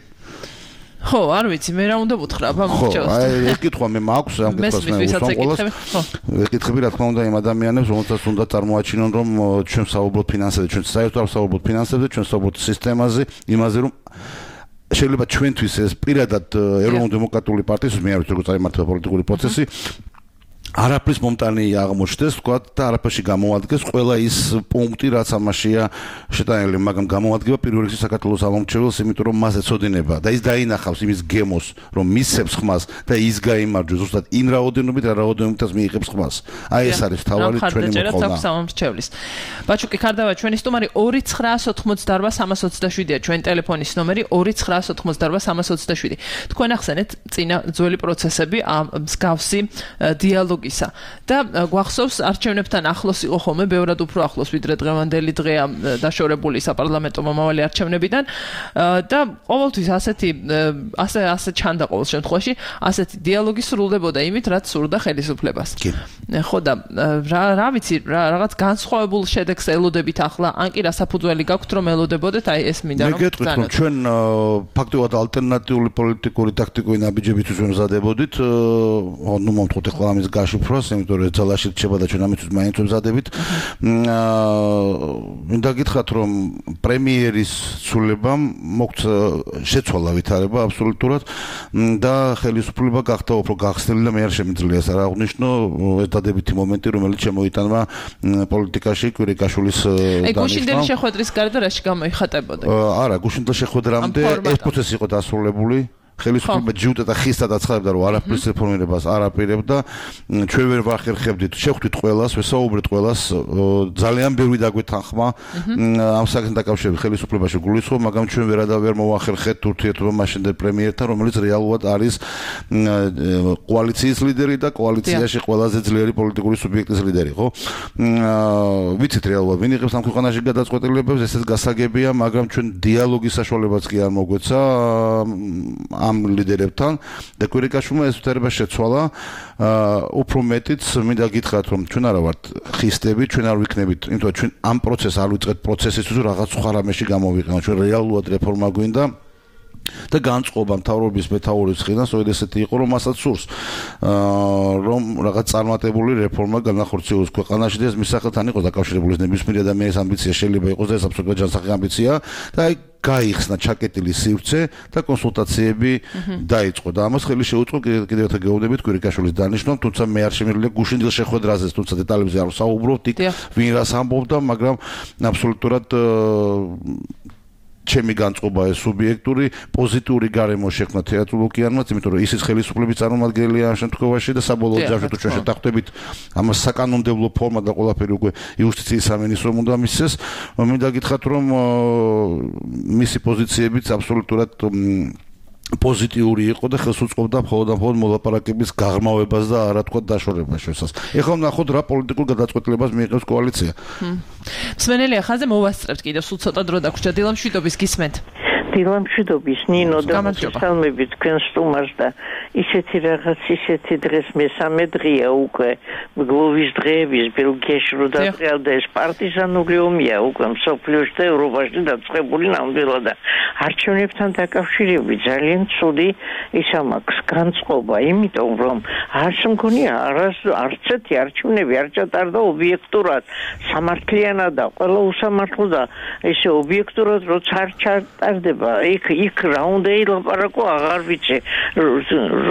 ხო, არ ვიცი, მე რა უნდა ვუთხრა ამორჩეულს. ხო, აი ეს კითხვა მე მაქვს, ამ კითხვას მე უსამყოლოს. ვეკითხები რა თქმა უნდა იმ ადამიანებს, რომელთაც უნდა წარმოაჩინონ რომ ჩვენ საუბრობთ ფინანსებზე, ჩვენ საერთოდ არ საუბრობთ ფინანსებზე, ჩვენ საუბრობთ სისტემაზე, იმაზე რომ შეიძლება ჩვენთვის ეს პირადად ეროვნულ-დემოკრატიული პარტიის მე არ ვიცი როგორ წაიმართება პოლიტიკური პროცესი არაფრის მომტანი აღმოჩნდეს, თქვა და არაფერში გამოადგეს ყველა ის პუნქტი, რაც ამაშია შეტანილი, მაგრამ გამოადგება პირველ რიგში საქართველოს ამომრჩეველს, იმიტომ რომ მას ეცოდინება და ის დაინახავს იმის გემოს, რომ მისცემს ხმას და ის გაიმარჯვებს ზუსტად იმ რაოდენობით, რა რაოდენობითაც მიიღებს ხმას. აი ეს არის თავარი ჩვენი მოთხოვნა. ბაჩუკი ქარდავა ჩვენი სტუმარი 2988327-ია ჩვენი ტელეფონის ნომერი 2988327. თქვენ ახსენეთ წინა ძველი პროცესები ამ მსგავსი დიალოგი და გვახსოვს არჩევნებთან ახლოს იყო ხოლმე ბევრად უფრო ახლოს ვიდრე დღევანდელი დღეა დაშორებული საპარლამენტო მომავალი არჩევნებიდან და ყოველთვის ასე ჩანდა ყოველ შემთხვევაში ასეთი დიალოგი სრულდებოდა იმით რაც სურდა ხელისუფლებას. ხო და რა ვიცი რაღაც განსხვავებულ შედეგს ელოდებით ახლა ან კი რასაფუძველი გაქვთ რომ ელოდებოდეთ აი ეს მინდა რომ მე გეტყვით რომ ჩვენ ფაქტობრივად ალტერნატიული პოლიტიკური ტაქტიკური ნაბიჯებისთვის ვემზადებოდით ნუ მომთხოვთ ახლა ამის გაშიფროს, იმიტომ რომ ძალაში რჩება და ჩვენ ამისთვის მაინც ვემზადებით. მინდა გითხრათ რომ პრემიერის ცვლილებამ მოგვცა შეცვალა ვითარება აბსოლუტურად და ხელისუფლება გახდა უფრო გახსნილი და მე არ შემიძლია ეს არ აღვნიშნო ეს დადებითი მომენტი რომელიც შემოიტანა პოლიტიკაში კვირიკაშვილის დანიშნა. გუშინდელი შეხვედრის გარდა რაში გამოიხატებოდა? არა, გუშინდელი შეხვედრამდე ეს პროცესი იყო დასრულებული. ხელისუფლება ჯიუტა და ხისტად აცხადებდა რომ არაფრის რეფორმირებას არ აპირებდა ჩვენ ვერ ვახერხებდით შეხვდით ყველას ვესაუბრეთ ყველას ძალიან ბევრი დაგვეთანხმა ამ საკითხთან დაკავშირებით ხელისუფლებაში გულისხმობ მაგრამ ჩვენ ვერ მოვახერხეთ ურთიერთობა მაშინდელ პრემიერთან რომელიც რეალურად არის კოალიციის ლიდერი და კოალიციაში ყველაზე ძლიერი პოლიტიკური სუბიექტის ლიდერი ხო ვიცით რეალურად ვინ იღებს ამ ქვეყანაში გადაწყვეტილებებს ესეც გასაგებია მაგრამ ჩვენ დიალოგის საშუალებაც კი არ მოგვეცა ამ ლიდერებთან და კვირიკაშვილმა ეს უთარება შეცვალა უფრო მეტიც მინდა გითხრათ რომ ჩვენ არა ვართ ხისტები ჩვენ არ ვიქნებით იმიტომ რომ ჩვენ ამ პროცესს არ ვიწყებთ პროცესისთვის რაღაც სხვა რამეში გამოვიყენოთ ჩვენ რეალურად რეფორმა გვინდა და განწყობა მთავრობის მეთაურის მხრიდან სწორედ ესეთი იყო რომ მასაც სურს რომ რაღაც წარმატებული რეფორმა განახორციელოს ქვეყანაში და ეს მის სახელთან იყოს დაკავშირებული ნებისმიერი ადამიანის ამბიცია შეიძლება იყოს და ეს აბსოლუტურად ჯანსაღი ამბიცია და აი გაიხსნა ჩაკეტილი სივრცე და კონსულტაციები დაიწყო და ამას ხელი შეუწყო კიდევ ერთხელ გეუბნებით კვირიკაშვილის დანიშვნამ თუმცა მე არ შემიძლია გუშინდილ შეხვედრაზე თუმცა დეტალებზე არ ვსაუბრობ იქ ვინ რას ამბობდა მაგრამ აბსოლუტურად ჩემი განწყობა ეს სუბიექტური პოზიტიური გარემო შექმნა თეატრულ ოკეანმაც, იმიტომ რომ ისიც ხელისუფლების წარმომადგენელია ამ შემთხვევაში და საბოლოო ჯამში თუ ჩვენ შევთანხმდებით ამას საკანონმდებლო ფორმა და ყველაფერი უკვე იუსტიციის სამინისტრომ უნდა მისცეს, მინდა გითხრათ რომ მისი პოზიციებიც აბსოლუტურად პოზიტიური იყო და ხელს უწყობდა მხოლოდ მოლაპარაკების გაღრმავებას და არა თქვა დაშორებას შესაძ. ეხლა ვნახოთ რა პოლიტიკურ გადაწყვეტილებას მიიღებს კოალიცია. მსმენელი ახალზე მოვასწრებთ კიდევ სულ ცოტა დრო დაგვრჩა დილამშვიდობის გისმენთ. დილამშვიდობის ნინო და მოგესალმებით თქვენ სტუმარს და ისეთი რაღაც ისეთი დღეს მესამე დღეა უკვე გლოვის დღეების ბელგიაში რო დაწყდა ეს პარტიზანული ომია უკვე მსოფლიოში და ევროპაში დაწყებული ნამდვილად და არჩევნებთან დაკავშირებით ძალიან ცუდი ისა მაქვს განწყობა იმიტომ რომ არც მგონია არც ერთი არჩევნები არ ჩატარდა ობიექტურად სამართლიანად და ყველა უსამართლო და ესე ობიექტურად როცა არ ჩატარდება იქ რა უნდა ილაპარაკო აღარ ვიცი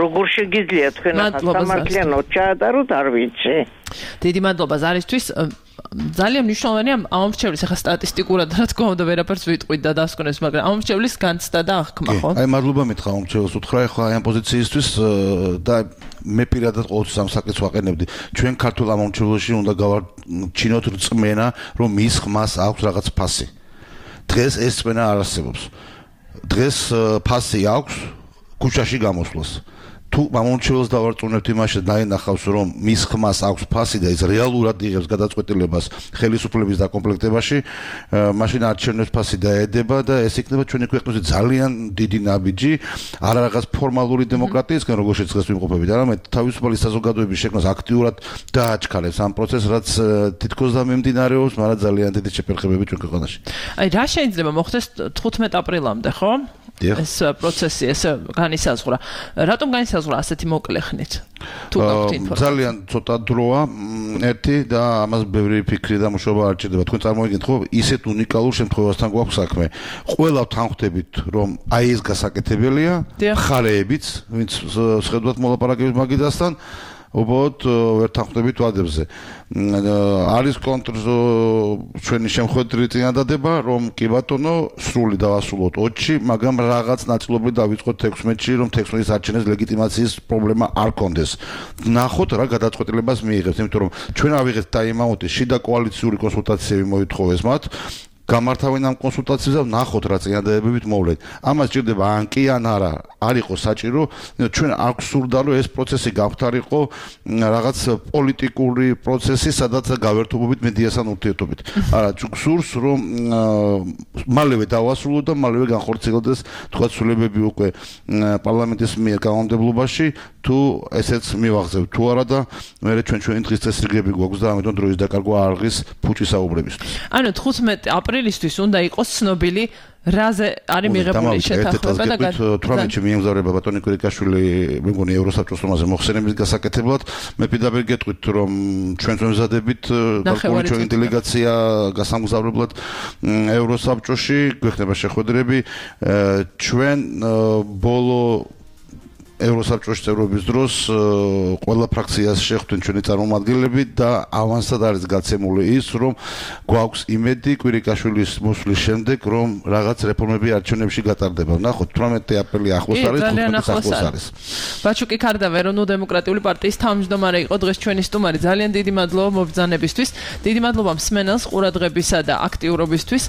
როგორ შეგიძლია თქვენ სამართლიანად ჩაატაროთ არ ვიცი დიდი მადლობა ზარისთვის ძალიან მნიშვნელოვანია ამომრჩევლის ახლა სტატისტიკურად რა თქმა უნდა ვერაფერს ვიტყვით და დასკვნებს მაგრამ ამომრჩევლის განცდა და აღქმა ხო აი მადლობა მითხრა ამომრჩეველს უთხრა ახლა აი ამ პოზიციისთვის და მე პირადად ყოველთვის ამ საკითხს ვაყენებდი ჩვენ ქართულ ამომრჩეველში უნდა გავარჩინოთ რწმენა რომ მის ხმას აქვს რაღაც ფასი დღეს ეს რწმენა არ არსებობს დღეს ფასი აქვს ქუჩაში გამოსვლას თუ ამომრჩეველს დავარწმუნებთ იმაში დაინახავს რომ მის ხმას აქვს ფასი და ის რეალურად იღებს გადაწყვეტილებას ხელისუფლების დაკომპლექტებაში მაშინ არჩევნებს ფასი დაედება და ეს იქნება ჩვენი ქვეყნაზე ძალიან დიდი ნაბიჯი არა რაღაც ფორმალური დემოკრატიისგან როგორც შეცდას ვიმყოფებით არამედ თავისუფალი საზოგადოების შექმნას აქტიურად დააჩქარებს ამ პროცესს რაც თითქოს და მიმდინარეობს მაგრამ ძალიან დიდი შეფერხებები ჩვენ ქვეყანაში აი რა შეიძლება მოხდეს 15 აპრილამდე ხო ეს პროცესი ეს განისაზღვრა რატომ განისაზღვრა ასეთი მოკლე ხნით თუ გაქვთ ინფორმაცია ძალიან ცოტა დროა ერთი და ამას ბევრი ფიქრი და მუშაობა არ ჭირდება თქვენ წარმოვიდგინეთ ხო ისეთ უნიკალურ შემთხვევასთან გვაქვს საქმე ყველა თანხმდებით რომ აი ეს გასაკეთებელია მხარეებიც ვინც შეხედავთ მოლაპარაკების მაგიდასთან უბრალოდ ვერ თანხმდებით ვადებზე არის ჩვენი შემხვედრი წინადადება რომ კი ბატონო სრული დავასრულოთ 20-ში მაგრამ რაღაც ნაწილობრივ დავიწყოთ 16-ში რომ 16-ის არჩევნების ლეგიტიმაციის პრობლემა არ კონდეს ნახოთ რა გადაწყვეტილებას მიიღებს იმიტომ რომ ჩვენ ავიღეთ ტაიმაუტი შიდა კოალიციური კონსულტაციები მოითხოვეს მათ გამართავენ ამ კონსულტაციებს და ნახოთ რა წინადადებებით მოვლეთ. ამას ჭირდება ან კი ან არა, არ იყოს საჭირო, ჩვენ არ გვსურდა რომ ეს პროცესი გავხდარიყო რაღაც პოლიტიკური პროცესი, სადაც გავერთობობით მედიასთან ურთიერთობით. არა, გვსურს რომ მალევე დავასრულოთ და მალევე განხორციელდეს თქვა ცვლილებები უკვე პარლამენტის მიერ კანონმდებლობაში, თუ ესეც მივახზევთ თუ არა და მე ჩვენი დღის წესრიგები გვაქვს და ამიტომ დროის დაკარგვა არ ღირს ფუჭის საუბრებისთვის. ანუ 15 აპრილისთვის უნდა იყოს ცნობილი რაზე არის მიღებული შეთანხმება და 18-ში მიემგზავრება ბატონი კვირიკაშვილი მეგონი ევროსაბჭოს თომაზე მოხსენების გასაკეთებლად მე პირდაპირ გეტყვით რომ ჩვენ ვემზადებით ჩვენი დელეგაცია გასამგზავრებლად ევროსაბჭოში გვექნება შეხვედრები ჩვენ ბოლო ევროსაბჭოს წევრობის დროს ყველა ფრაქციას შეხვდნენ ჩვენი წარმომადგენლები და ავანსად არის გაცემული ის რომ გვაქვს იმედი კვირიკაშვილის მოსვლის შემდეგ რომ რაღაც რეფორმები არჩევნებში გატარდება. ნახოთ 18 აპრილი ახლოს არის, 15 ახლოს არის. ბაჩუკი ქარდავა ეროვნულ დემოკრატიული პარტიის თავმჯდომარე იყო დღეს ჩვენი სტუმარი. ძალიან დიდი მადლობა მობრძანებისთვის. დიდი მადლობა მსმენელს ყურადღებისა და აქტიურობისთვის.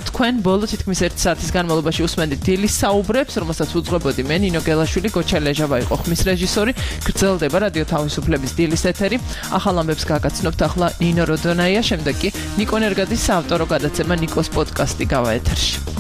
თქვენ ბოლო თითქმის 1 საათის განმავლობაში უსმენდით დილის საუბრებს, რომელსაც უძღვებოდი მე ნინო გელაშვილი გოჩელეჟავა იყო ხმის რეჟისორი. გრძელდება რადიო თავისუფლების დილის ეთერი. ახალ ამბებს გაგაცნობთ ახლა ნინო როდონაია, შემდეგ კი ნიკო ნერგაძის საავტორო გადაცემა ნიკოს პოდკასტი გავა ეთერში.